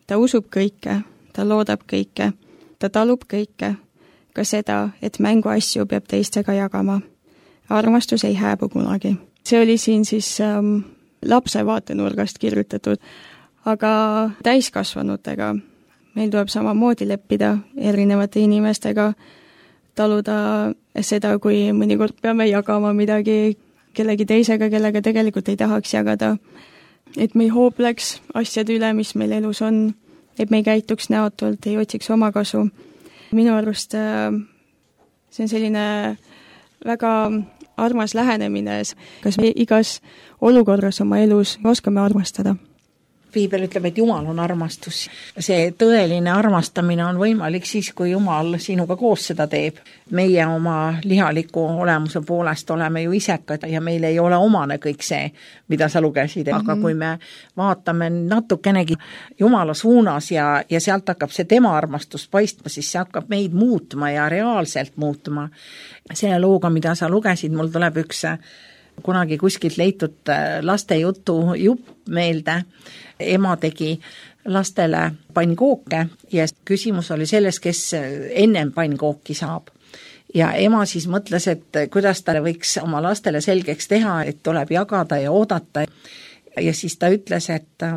Ta usub kõike, ta loodab kõike, ta talub kõike, ka seda, et mänguasju peab teistega jagama. Armastus ei hääbu kunagi. See oli siin siis lapse vaatenurgast kirjutatud, aga täiskasvanutega meil tuleb samamoodi leppida erinevate inimestega, taluda seda, kui mõnikord peame jagama midagi kellegi teisega, kellega tegelikult ei tahaks jagada. Et me ei hoobleks asjade üle, mis meil elus on, et me ei käituks näotult, ei otsiks oma kasu. Minu arust see on selline väga armas lähenemine, kas me igas olukorras oma elus oskame armastada. Piibel ütleb, et Jumal on armastus. See tõeline armastamine on võimalik siis, kui Jumal sinuga koos seda teeb. Meie oma lihaliku olemuse poolest oleme ju isekad ja meil ei ole omane kõik see, mida sa lugesid. Aga kui me vaatame natukenegi Jumala suunas ja sealt hakkab see tema armastus paistma, siis see hakkab meid muutma ja reaalselt muutma. Selle looga, mida sa lugesid, mul tuleb üks kunagi kuskilt leitud laste jutu jupp meelde. Ema tegi lastele pannkooke ja küsimus oli selles, kes ennem pannkooki saab. Ja ema siis mõtles, et kuidas ta võiks oma lastele selgeks teha, et tuleb jagada ja oodata. Ja siis ta ütles, et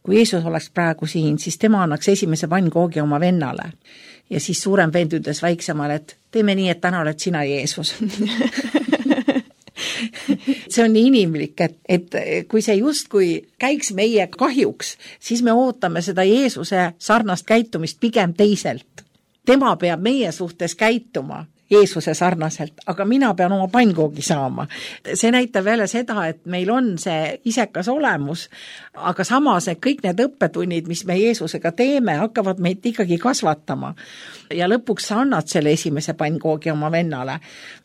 kui Jeesus oleks praegu siin, siis tema annaks esimese pannkoogi oma vennale. Ja siis suurem vend ütles väiksemale, et teeme nii, et täna oled sina Jeesus. See on nii inimlik, et kui see justkui käiks meie kahjuks, siis me ootame seda Jeesuse sarnast käitumist pigem teiselt. Tema peab meie suhtes käituma Jeesuse sarnaselt, aga mina pean oma pannkoogi saama. See näitab jälle seda, et meil on see isekas olemus, aga samas kõik need õppetunnid, mis me Jeesusega teeme, hakkavad meid ikkagi kasvatama. Ja lõpuks sa annad selle esimese pannkoogi oma vennale.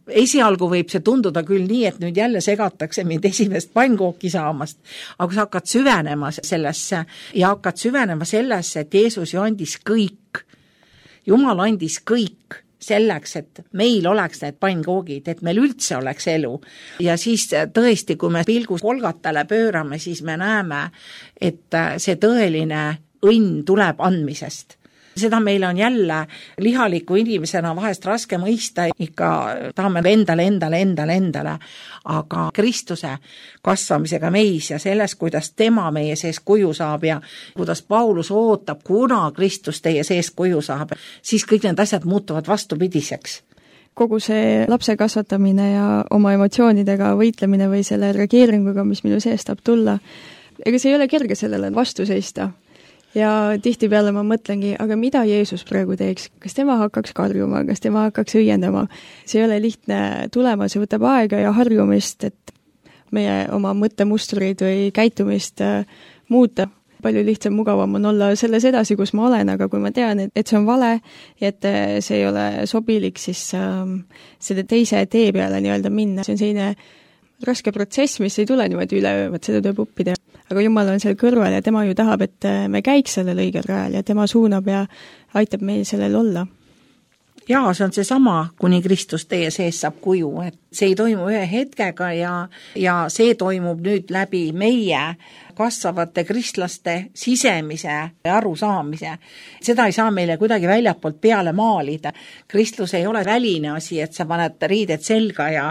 Esialgu võib see tunduda küll nii, et nüüd jälle segatakse mind esimest pannkooki saamast, aga sa hakkad süvenema sellesse ja hakkad süvenema sellesse, et Jeesus ju andis kõik. Jumal andis kõik selleks, et meil oleks need pannkoogid, et meil üldse oleks elu. Ja siis tõesti, kui me pilgu Golgatale pöörame, siis me näeme, et see tõeline õnn tuleb andmisest. Seda meil on jälle lihaliku inimesena vahest raske mõista, ikka tahame endale, aga Kristuse kasvamisega meis ja selles, kuidas tema meie sees kuju saab ja kuidas Paulus ootab, kuna Kristus teie sees kuju saab, siis kõik need asjad muutuvad vastupidiseks. Kogu see lapse kasvatamine ja oma emotsioonidega võitlemine või selle reageeringuga, mis minu sees tahab tulla, ega see ei ole kerge sellele vastu seista. Ja tihtipeale ma mõtlengi, aga mida Jeesus praegu teeks? Kas tema hakkaks karjuma, kas tema hakkaks õiendama? See ei ole lihtne tulema, see võtab aega ja harjumist, et meie oma mõttemustrid või käitumist muuta. Palju lihtsam, mugavam on olla selles edasi, kus ma olen, aga kui ma tean, et see on vale ja et see ei ole sobilik, siis selle teise tee peale nii-öelda minna. See on selline raske protsess, mis ei tule niimoodi üleöö, seda tuleb õppida. Aga Jumal on seal kõrval ja tema ju tahab, et me käiks sellel õigel rajal ja tema suunab ja aitab meil sellel olla. Jaa, see on see sama, kuni Kristus teie sees saab kuju, et see ei toimu ühe hetkega ja see toimub nüüd läbi meie kasvavate kristlaste sisemise arusaamise. Seda ei saa meile kuidagi väljapoolt peale maalida. Kristlus ei ole väline asi, et sa paned riided selga ja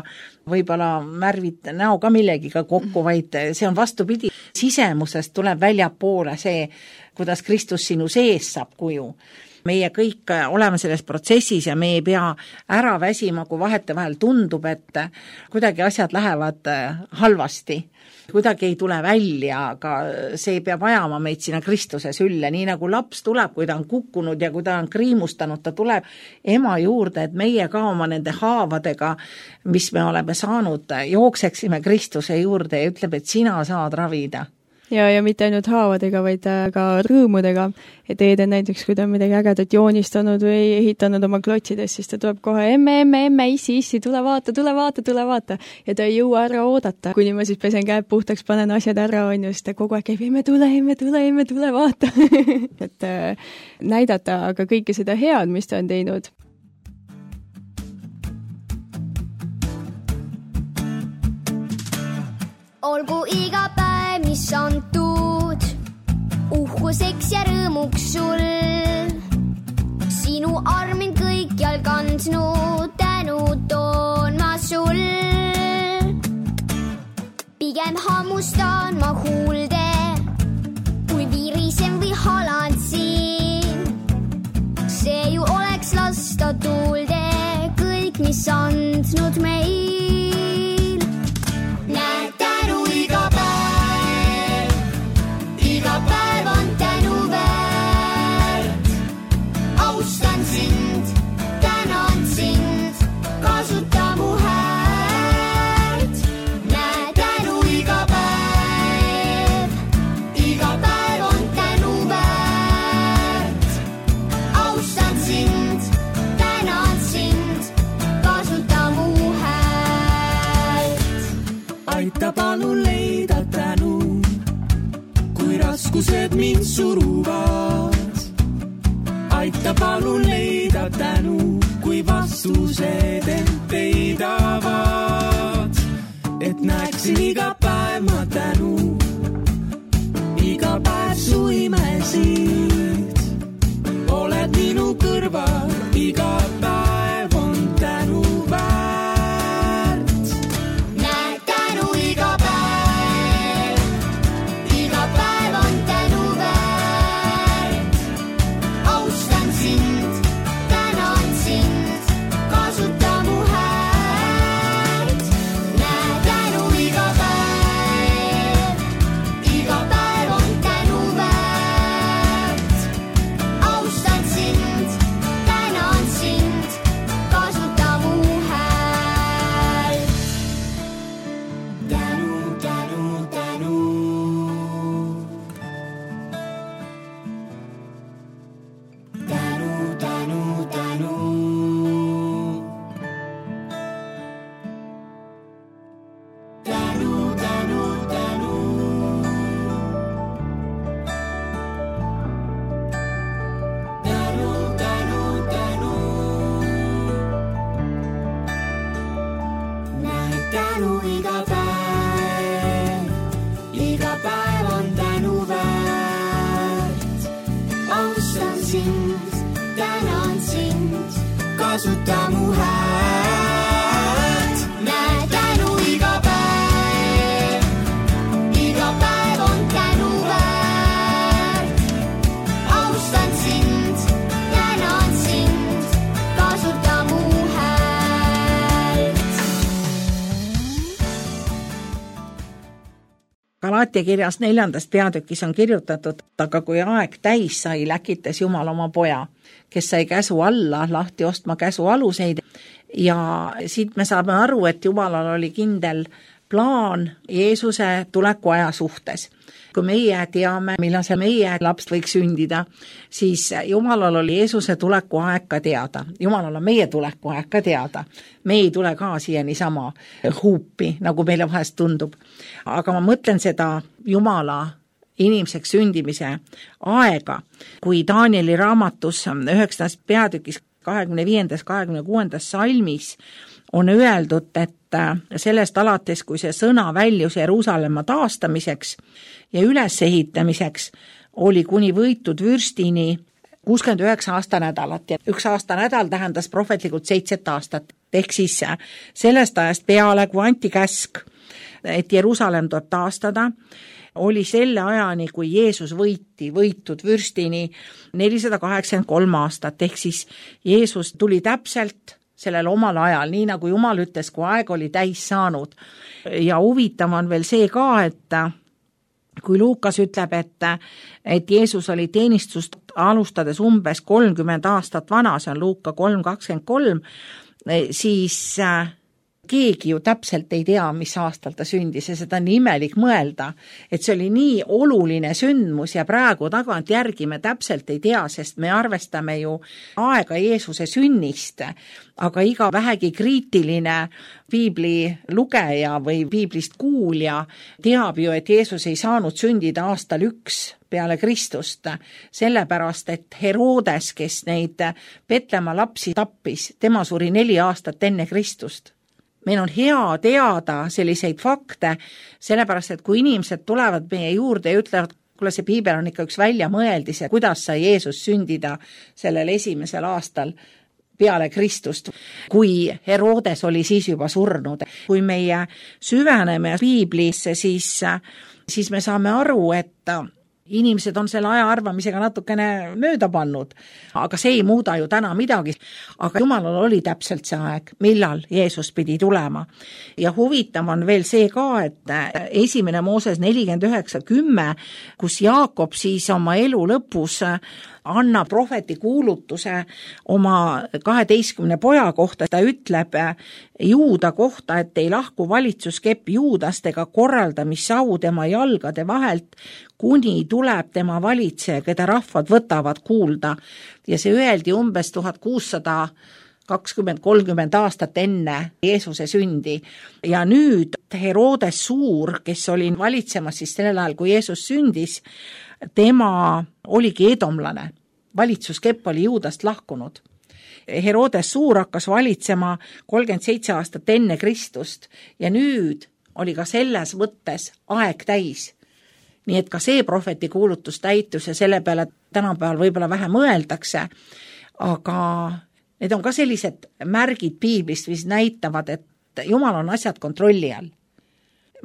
võib-olla märvid näo ka millegiga kokku, vaid see on vastupidi. Sisemusest tuleb väljapoole see, kuidas Kristus sinu sees saab kuju. Meie kõik oleme selles protsessis ja me ei pea ära väsima, kui vahetevahel tundub, et kuidagi asjad lähevad halvasti. Kuidagi ei tule välja, aga see peab ajama meid sinna Kristuse sülle. Nii nagu laps tuleb, kui ta on kukkunud ja kui ta on kriimustanud, ta tuleb ema juurde, et meie ka oma nende haavadega, mis me oleme saanud, jookseksime Kristuse juurde ja ütleb, et sina saad ravida. Ja mitte ainult haavadega, vaid ka rõõmudega. Et Eeden näiteks, kui ta on midagi ägedat joonistanud või ehitanud oma klotsides, siis ta tuleb kohe, emme, issi, tule vaata. Ja ta ei jõua ära oodata. Kuni ma siis pesen käed puhtaks, panen asjad ära, on ju, siis ta kogu aeg käib, emme, tule vaata. Et näidata aga kõike seda head, mis ta on teinud. Olgu iga päev, mis antud, uhkuseks ja rõõmuks sul. Sinu armin kõikjal kandnud, tänu toon ma sul. Pigem hammustan ma huulde, kui virisen või halan siin. See ju oleks lasta tuulde, raskused mind suruvad, aita palun leida tänu, kui vastused end peidavad, et näeksin iga päev ma tänu, iga päev su imesid, oled minu kõrval, iga päev on tänu väärt. Näed tänu iga päev on tänu väärt. Austan sind, tänan sind, kasuta mu häält. Näed tänu iga päev on tänu väärt. Austan sind, tänan sind, kasuta mu häält. Tänu, tänu, tänu. Tänu, tänu, tänu. Tänu, tänu, tänu. Tänu, tänu, tänu. Näed tänu iga päev on tänu väärt. Austan sind, tänan sind, kasuta mu häält. Näed tänu iga päev on tänu väärt. Austan sind, tänan sind, kasuta mu häält. Galaatia kirjas 4. peatükis on kirjutatud, aga kui aeg täis sai, läkitas Jumal oma poja, kes sai käsu alla lahti ostma käsu aluseid. Ja siit me saame aru, et Jumalal oli kindel plaan Jeesuse tuleku aja suhtes. Kui meie teame, millal see meie laps võiks sündida, siis Jumalal oli Jeesuse tuleku aeg ka teada. Jumalal on meie tuleku aeg ka teada. Me ei tule ka siia niisama huupi, nagu meile vahest tundub. Aga ma mõtlen seda Jumala inimeseks sündimise aega, kui Danieli raamatus 9. peatükis 25.–26. salmis on öeldud, et sellest alates, kui see sõna väljus Jeruusalemma taastamiseks ja ülesehitamiseks, oli kuni võitud vürstini 69 aastanädalat ja 1 aastanädal tähendas prohvetlikult 7 aastat. Ehk siis sellest ajast peale, kui anti käsk, et Jeruusalemm tuleb taastada, oli selle ajani, kui Jeesus võitud vürstini 483 aastat. Ehk siis Jeesus tuli täpselt sellel omal ajal, nii nagu Jumal ütles, kui aeg oli täis saanud. Ja huvitav on veel see ka, et kui Luukas ütleb, et Jeesus oli teenistust alustades umbes 30 aastat vana, see on Luuka 3.23, siis keegi ju täpselt ei tea, mis aastal ta sündis ja seda on imelik mõelda, et see oli nii oluline sündmus ja praegu tagantjärgi me täpselt ei tea, sest me arvestame ju aega Jeesuse sünnist, aga iga vähegi kriitiline piibli lugeja või piiblist kuulja teab ju, et Jeesus ei saanud sündida aastal 1 peale Kristust, sellepärast, et Herodes, kes neid Petlemma lapsi tappis, tema suri 4 aastat enne Kristust. Meil on hea teada selliseid fakte, sellepärast, et kui inimesed tulevad meie juurde ja ütlevad, kuule, see piibel on ikka üks väljamõeldis ja kuidas sai Jeesus sündida sellel 1. aastal peale Kristust, kui Herodes oli siis juba surnud. Kui meie süveneme piiblisse, siis me saame aru, et inimesed on selle aja arvamisega natukene mööda pannud, aga see ei muuda ju täna midagi. Aga Jumalal oli täpselt see aeg, millal Jeesus pidi tulema. Ja huvitav on veel see ka, et 1. Mooses 49.10, kus Jaakob siis oma elu lõpus annab prohveti kuulutuse oma 12 poja kohta, ta ütleb Juuda kohta, et ei lahku valitsuskepp Juudast ega korraldamissau tema jalgade vahelt, kuni tuleb tema valitseja, keda rahvad võtavad kuulda. Ja see öeldi umbes 1600 20-30 aastat enne Jeesuse sündi. Ja nüüd Herodes Suur, kes oli valitsemas siis sellel ajal, kui Jeesus sündis, tema oligi edomlane. Valitsuskepp oli Juudast lahkunud. Herodes Suur hakkas valitsema 37 aastat enne Kristust ja nüüd oli ka selles mõttes aeg täis. Nii et ka see prohveti kuulutus täitus ja selle peale tänapäeval võib-olla vähe mõeldakse, aga need on ka sellised märgid piiblist, mis näitavad, et Jumal on asjad kontrolli all.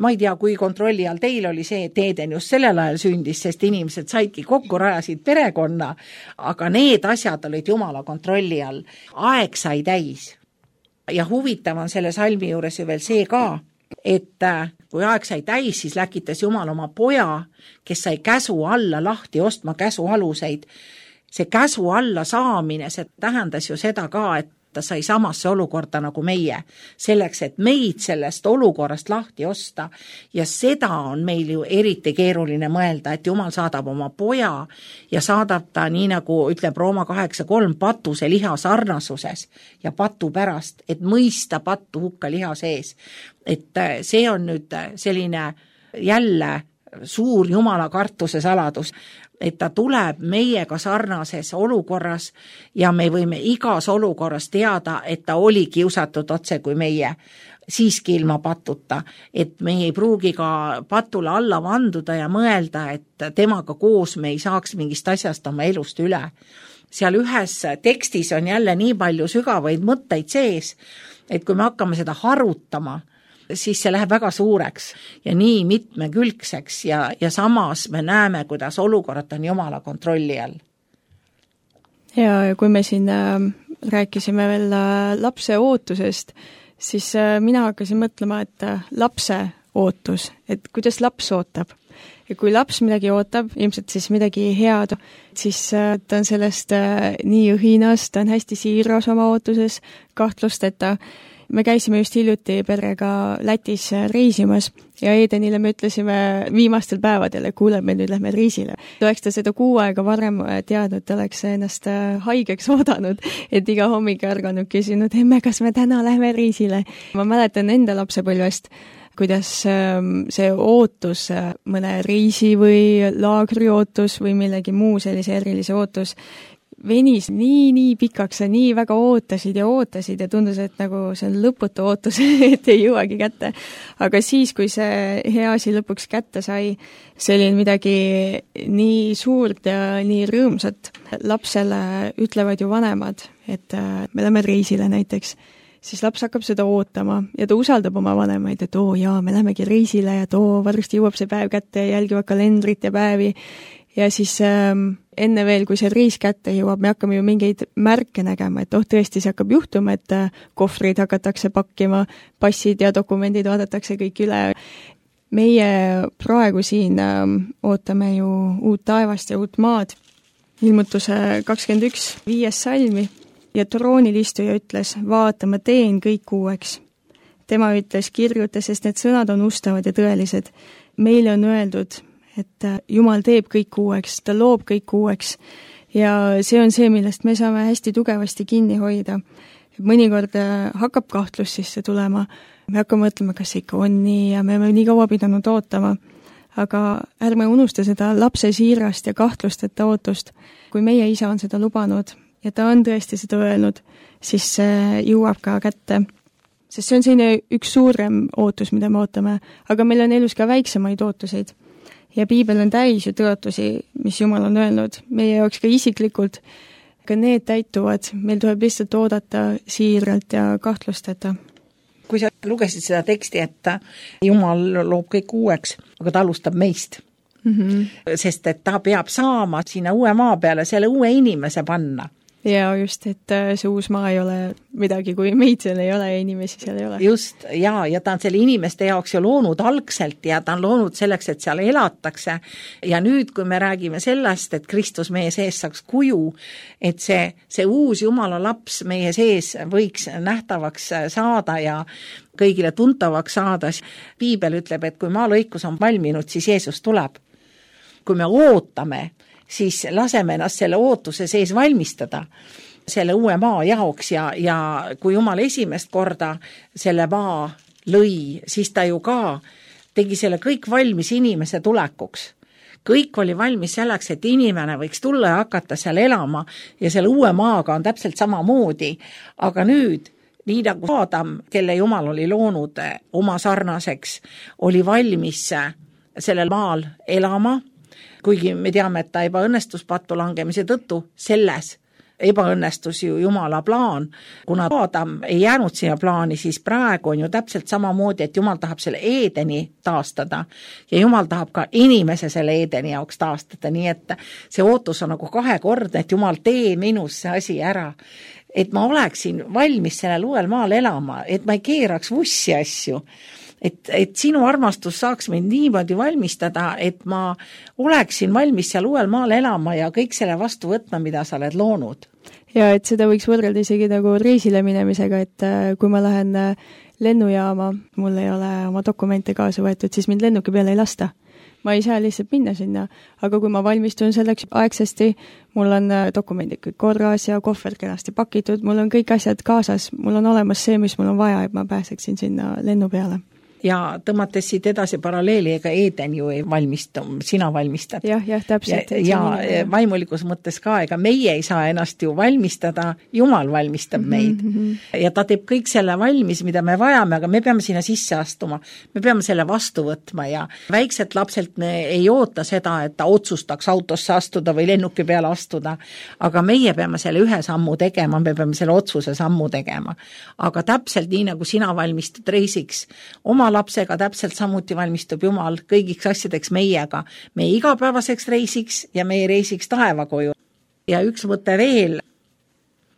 Ma ei tea, kui kontrolli all teil oli see, et Eden just sellel ajal sündis, sest inimesed saidki kokku, rajasid perekonna, aga need asjad olid Jumala kontrolli all. Aeg sai täis. Ja huvitav on selle salmi juures ju veel see ka, et kui aeg sai täis, siis läkitas Jumal oma poja, kes sai käsu alla lahti ostma käsu aluseid. See käsu alla saamine, see tähendas ju seda ka, et ta sai samasse olukorda nagu meie, selleks, et meid sellest olukorrast lahti osta. Ja seda on meil ju eriti keeruline mõelda, et Jumal saadab oma poja ja saadab ta nii nagu ütleb Rooma 8.3 patuse liha sarnasuses ja patu pärast, et mõista pattu hukka liha sees. Et see on nüüd selline jälle suur Jumala kartuse saladus, et ta tuleb meiega sarnases olukorras ja me võime igas olukorras teada, et ta oli kiusatud otse kui meie, siiski ilma patuta, et me ei pruugi ka patule alla vanduda ja mõelda, et temaga koos me ei saaks mingist asjast oma elust üle. Seal ühes tekstis on jälle nii palju sügavaid mõtteid sees, et kui me hakkame seda harutama, siis see läheb väga suureks ja nii mitmekülgseks ja samas me näeme, kuidas olukorrad on Jumala kontrolli all. Ja kui me siin rääkisime veel lapse ootusest, siis mina hakkasin mõtlema, et lapse ootus, et kuidas laps ootab. Ja kui laps midagi ootab, ilmselt siis midagi head, siis ta on sellest nii õhinas, ta on hästi siiras oma ootuses, kahtlusteta. Me käisime just hiljuti perega Lätis reisimas ja Edenile me ütlesime viimastel päevadel, et kuule, me nüüd lähme reisile. Oleks ta seda 6 aega varem teadnud, ta oleks ennast haigeks oodanud, et iga hommik ärganud küsinud, emme, kas me täna lähme reisile. Ma mäletan enda lapsepõlvest, kuidas see ootus, mõne reisi või laagri ootus või millegi muu sellise erilise ootus venis nii pikaks ja nii väga ootasid ja tundus, et nagu see on lõputu ootus, et ei jõuagi kätte. Aga siis, kui see hea asi lõpuks kätte sai, see oli midagi nii suurt ja nii rõõmsat. Lapsele ütlevad ju vanemad, et me lähme reisile näiteks, siis laps hakkab seda ootama ja ta usaldab oma vanemaid, et me lähmegi reisile ja varsti jõuab see päev kätte ja jälgivad kalendrit ja päevi. Ja siis enne veel, kui see reis kätte jõuab, me hakkame ju mingeid märke nägema, et tõesti see hakkab juhtuma, et kohvrid hakatakse pakkima, passid ja dokumendid vaadatakse kõik üle. Meie praegu siin ootame ju uut taevast ja uut maad. Ilmutuse 21, 5. salmi ja troonilistuja ütles, vaata, ma teen kõik uueks. Tema ütles, kirjuta, sest need sõnad on ustavad ja tõelised. Meile on öeldud, et Jumal teeb kõik uueks, ta loob kõik uueks ja see on see, millest me saame hästi tugevasti kinni hoida. Mõnikord hakkab kahtlus sisse tulema, me hakkame mõtlema, kas ikka on nii ja me oleme nii kaua pidanud ootama, aga ärme unusta seda lapse siirast ja kahtlusteta ootust. Kui meie isa on seda lubanud ja ta on tõesti seda öelnud, siis see jõuab ka kätte. Sest see on selline üks suurem ootus, mida me ootame, aga meil on elus ka väiksemaid ootuseid. Ja piibel on täis ju tõotusi, mis Jumal on öelnud, meie jaoks ka isiklikult, aga need täituvad, meil tuleb lihtsalt oodata siiralt ja kahtlusteta. Kui sa lugesid seda teksti, et Jumal loob kõik uueks, aga ta alustab meist. Sest et ta peab saama sinna uue maa peale selle uue inimese panna. Ja just, et see uus maa ei ole midagi, kui meid seal ei ole ja inimesi seal ei ole. Just, ja ta on selle inimeste jaoks ju loonud algselt ja ta on loonud selleks, et seal elatakse. Ja nüüd, kui me räägime sellest, et Kristus meie sees saaks kuju, et see uus Jumala laps meie sees võiks nähtavaks saada ja kõigile tuntavaks saada, piibel ütleb, et kui maalõikus on valminud, siis Jeesus tuleb. Kui me ootame, siis laseme ennast selle ootuse sees valmistada. selle uue maa jaoks ja kui Jumal esimest korda selle maa lõi, siis ta ju ka tegi selle kõik valmis inimese tulekuks. Kõik oli valmis selleks, et inimene võiks tulla ja hakata seal elama ja selle uue maaga on täpselt samamoodi. Aga nüüd, nii nagu Adam, kelle Jumal oli loonud oma sarnaseks, oli valmis sellel maal elama, kuigi me teame, et ta ebaõnnestus pattu langemise tõttu, selles ebaõnnestus ju Jumala plaan. Kuna Adam ei jäänud siia plaani, siis praegu on ju täpselt samamoodi, et Jumal tahab selle Eedeni taastada ja Jumal tahab ka inimese selle Eedeni jaoks taastada, nii et see ootus on nagu kahekordne, et Jumal tee minus see asi ära. Et ma oleksin valmis sellel uuel maal elama, et ma ei keeraks vussi asju. Et sinu armastus saaks mind niimoodi valmistada, et ma oleksin valmis seal uuel maal elama ja kõik selle vastu võtma, mida sa oled loonud. Ja et seda võiks võrrelda isegi nagu reisile minemisega, et kui ma lähen lennujaama, mul ei ole oma dokumente kaasa võetud, siis mind lennuki peale ei lasta. Ma ei saa lihtsalt minna sinna, aga kui ma valmistun selleks aegsasti, mul on dokumendid kõik korras ja kohver kenasti pakitud, mul on kõik asjad kaasas, mul on olemas see, mis mul on vaja, et ma pääseksin sinna lennu peale. Ja tõmmates siit edasi paralleeli, ega Eeden ju ei valmistu, sina valmistad. Jah, täpselt. Ja vaimulikus mõttes ka, ega meie ei saa ennast ju valmistada, Jumal valmistab meid. Ja ta teeb kõik selle valmis, mida me vajame, aga me peame sinna sisse astuma. Me peame selle vastu võtma ja väikselt lapselt me ei oota seda, et ta otsustaks autosse astuda või lennuki peale astuda, aga meie peame selle ühe sammu tegema, me peame selle otsuse sammu tegema. Aga täpselt nii, nagu sina valmistud reisiks oma lapsega, täpselt samuti valmistub Jumal kõigiks asjadeks meiega, meie igapäevaseks reisiks ja meie reisiks taevakoju. Ja üks mõte veel,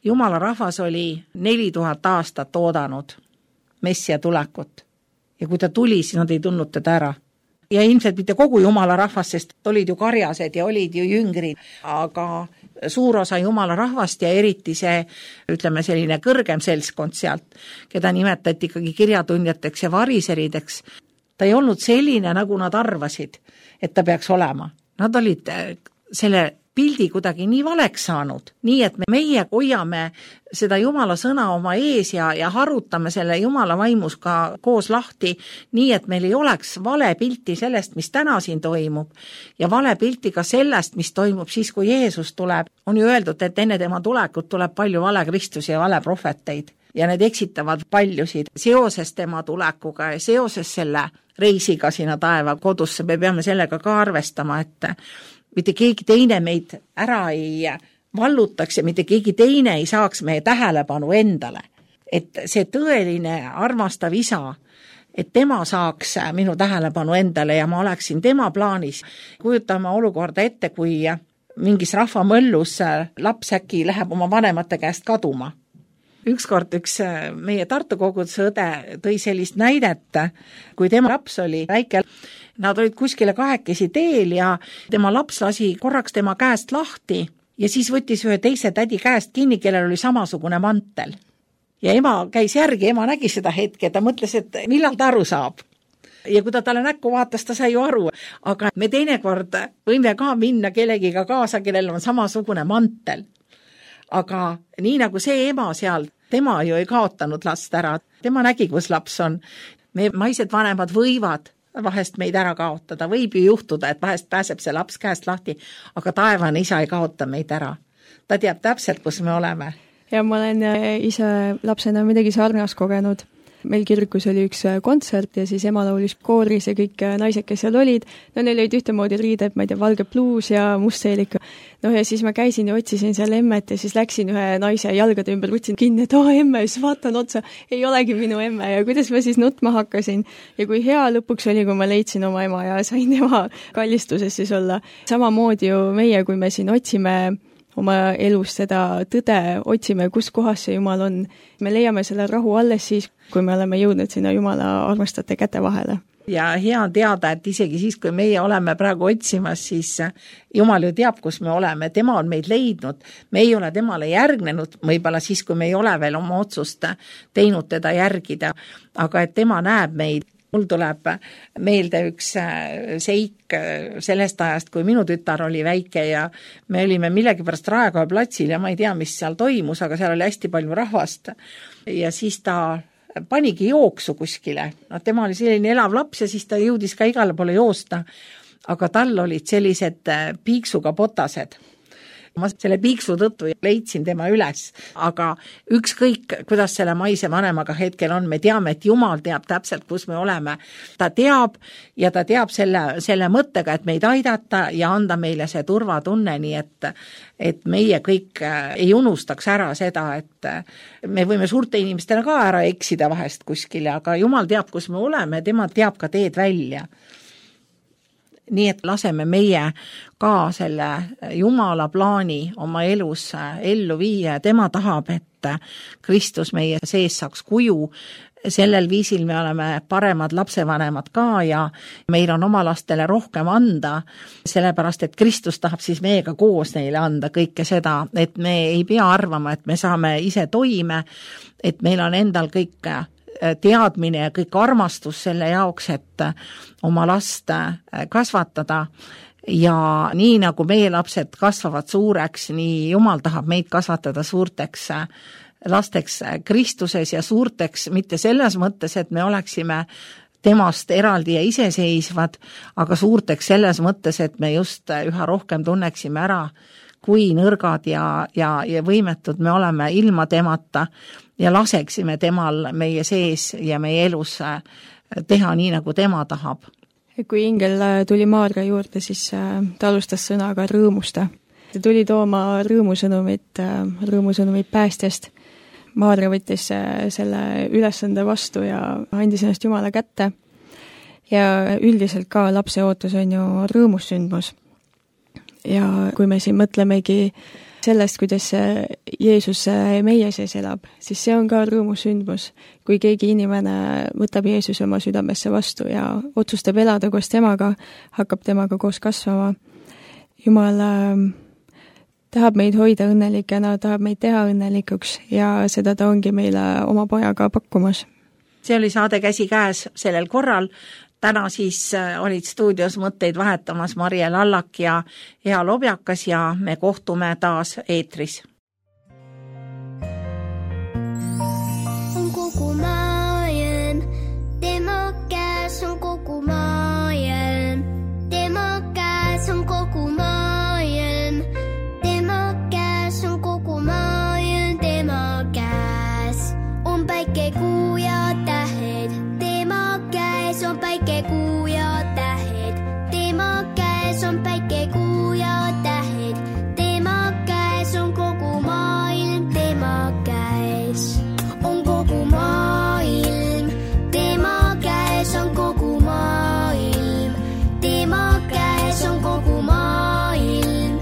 Jumala rahvas oli 4000 aastat oodanud Messia tulekut ja kui ta tuli, siis nad ei tundnud teda ära. Ja ilmselt mitte kogu Jumala rahvas, sest olid ju karjased ja olid ju jüngrid, aga suur osa Jumala rahvast ja eriti see, ütleme selline kõrgem seltskond sealt, keda nimetati ikkagi kirjatundjateks ja variserideks, ta ei olnud selline, nagu nad arvasid, et ta peaks olema. Nad olid selle pildi kuidagi nii valeks saanud, nii et meie hoiame seda Jumala sõna oma ees ja harutame selle Jumala vaimus ka koos lahti, nii et meil ei oleks vale pilti sellest, mis täna siin toimub ja vale pilti ka sellest, mis toimub siis, kui Jeesus tuleb. On ju öeldud, et enne tema tulekut tuleb palju vale Kristusi ja vale prohveteid ja need eksitavad paljusid seoses tema tulekuga ja seoses selle reisiga sinna taeva kodusse. Me peame sellega ka arvestama, et mitte keegi teine meid ära ei vallutaks ja mitte keegi teine ei saaks meie tähelepanu endale. Et see tõeline armastav isa, et tema saaks minu tähelepanu endale ja ma oleksin tema plaanis. Kujutame olukorda ette, kui mingis rahvamõllus laps äkki läheb oma vanemate käest kaduma. Ükskord üks meie Tartu koguduse õde tõi sellist näidet, kui tema laps oli väike. Nad olid kuskile kahekesi teel ja tema laps lasi korraks tema käest lahti ja siis võttis ühe teise tädi käest kinni, kellel oli samasugune mantel. Ja ema käis järgi, ema nägi seda hetke, ta mõtles, et millal ta aru saab. Ja kui ta talle näkku vaatas, ta sai ju aru, aga me teinekord võime ka minna kellegiga kaasa, kellel on samasugune mantel. Aga nii nagu see ema seal, tema ju ei kaotanud last ära, tema nägi, kus laps on. Me maised vanemad võivad vahest meid ära kaotada, võib ju juhtuda, et vahest pääseb see laps käest lahti, aga taevane isa ei kaota meid ära. Ta teab täpselt, kus me oleme. Ja ma olen ise lapsena midagi sarnast kogenud. Meil kirikus oli üks kontsert ja siis ema laulis kooris ja kõik naised, kes seal olid, no neil olid ühtemoodi riided, ma ei tea, valge pluus ja must seelik. No ja siis ma käisin ja otsisin seal emmet ja siis läksin ühe naise jalgade ümber, võtsin kinni, et emme, siis vaatan otsa, ei olegi minu emme ja kuidas ma siis nutma hakkasin. Ja kui hea lõpuks oli, kui ma leidsin oma ema ja sain tema kallistuses siis olla. Samamoodi ju meie, kui me siin otsime oma elus seda tõde, otsime, kus kohas see Jumal on. Me leiame selle rahu alles siis, kui me oleme jõudnud sinna Jumala armastate käte vahele. Ja hea on teada, et isegi siis, kui meie oleme praegu otsimas, siis Jumal ju teab, kus me oleme. Tema on meid leidnud. Me ei ole temale järgnenud, võib-olla siis, kui me ei ole veel oma otsust teinud teda järgida. Aga et tema näeb meid Mul tuleb meelde üks seik sellest ajast, kui minu tütar oli väike ja me olime millegipärast Raekoja platsil ja ma ei tea, mis seal toimus, aga seal oli hästi palju rahvast. Ja siis ta panigi jooksu kuskile. No, tema oli selline elav laps ja siis ta jõudis ka igale poole joosta, aga tal olid sellised piiksuga potased. Ma selle piiksu tõttu leidsin tema üles, aga ükskõik, kuidas selle maise vanemaga hetkel on, me teame, et Jumal teab täpselt, kus me oleme. Ta teab ja ta teab selle mõttega, et meid aidata ja anda meile see turvatunne, nii et meie kõik ei unustaks ära seda, et me võime suurte inimestena ka ära eksida vahest kuskile, aga Jumal teab, kus me oleme, tema teab ka teed välja. Nii et laseme meie ka selle Jumala plaani oma elus ellu viia ja tema tahab, et Kristus meie sees saaks kuju. Sellel viisil me oleme paremad lapsevanemad ka ja meil on oma lastele rohkem anda, sellepärast et Kristus tahab siis meiega koos neile anda kõike seda, et me ei pea arvama, et me saame ise toime, et meil on endal kõik teadmine ja kõik armastus selle jaoks, et oma last kasvatada ja nii nagu meie lapsed kasvavad suureks, nii Jumal tahab meid kasvatada suurteks lasteks Kristuses ja suurteks mitte selles mõttes, et me oleksime temast eraldi ja iseseisvad, aga suurteks selles mõttes, et me just üha rohkem tunneksime ära, kui nõrgad ja võimetud me oleme ilma temata ja laseksime temal meie sees ja meie elus teha nii, nagu tema tahab. Kui ingel tuli Maarja juurde, siis ta alustas sõnaga rõõmusta. Ta tuli tooma rõõmusõnumit päästjast. Maarja võttis selle ülesande vastu ja andis ennast Jumala kätte. Ja üldiselt ka lapse ootus on ju rõõmussündmus. Ja kui me siin mõtlemegi sellest, kuidas Jeesus meie sees elab, siis see on ka rõõmusündmus. Kui keegi inimene võtab Jeesuse oma südamesse vastu ja otsustab elada koos temaga, hakkab temaga koos kasvama. Jumal tahab meid hoida õnnelikena, tahab meid teha õnnelikuks ja seda ta ongi meile oma pojaga pakkumas. See oli saade Käsi käes sellel korral. Täna siis olid stuudios mõtteid vahetamas Marje Lallak ja Ea Lobjakas ja me kohtume taas eetris. On kogu maailm, tema käes on kogu maailm. Tema käes on kogu maailm. Tema käes on kogu maailm. Tema käes on päike, kuu ja tähed. Tema käes on päike, kuu ja tähed. Tema käes on päike, kuu ja tähed. Tema käes on kogu maailm. Tema käes on kogu maailm. Tema käes on kogu maailm. Tema käes on kogu maailm.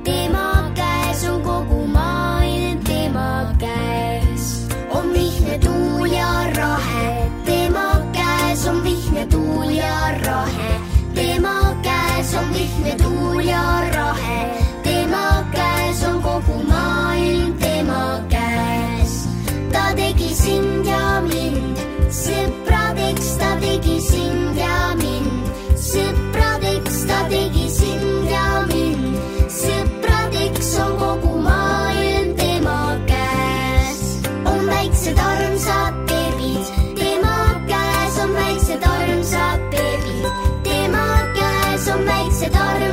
Tema käes on kogu maailm. Tema käes on vihne tuul ja rahe. Tema käes on vihne tuul ja rahe. Tema käes on vihne tuul ja rahe. Tema käes on kogu maailm. Tema käes ta tegi sind ja mind. Sõpradeks ta tegi sind ja mind. Sõpradeks ta tegi sind ja mind. Sõpradeks on kogu maailm. Tema käes on väiksed armsad beebid. Tema käes on väiksed armsad beebid. Tema käes on väiksed armsad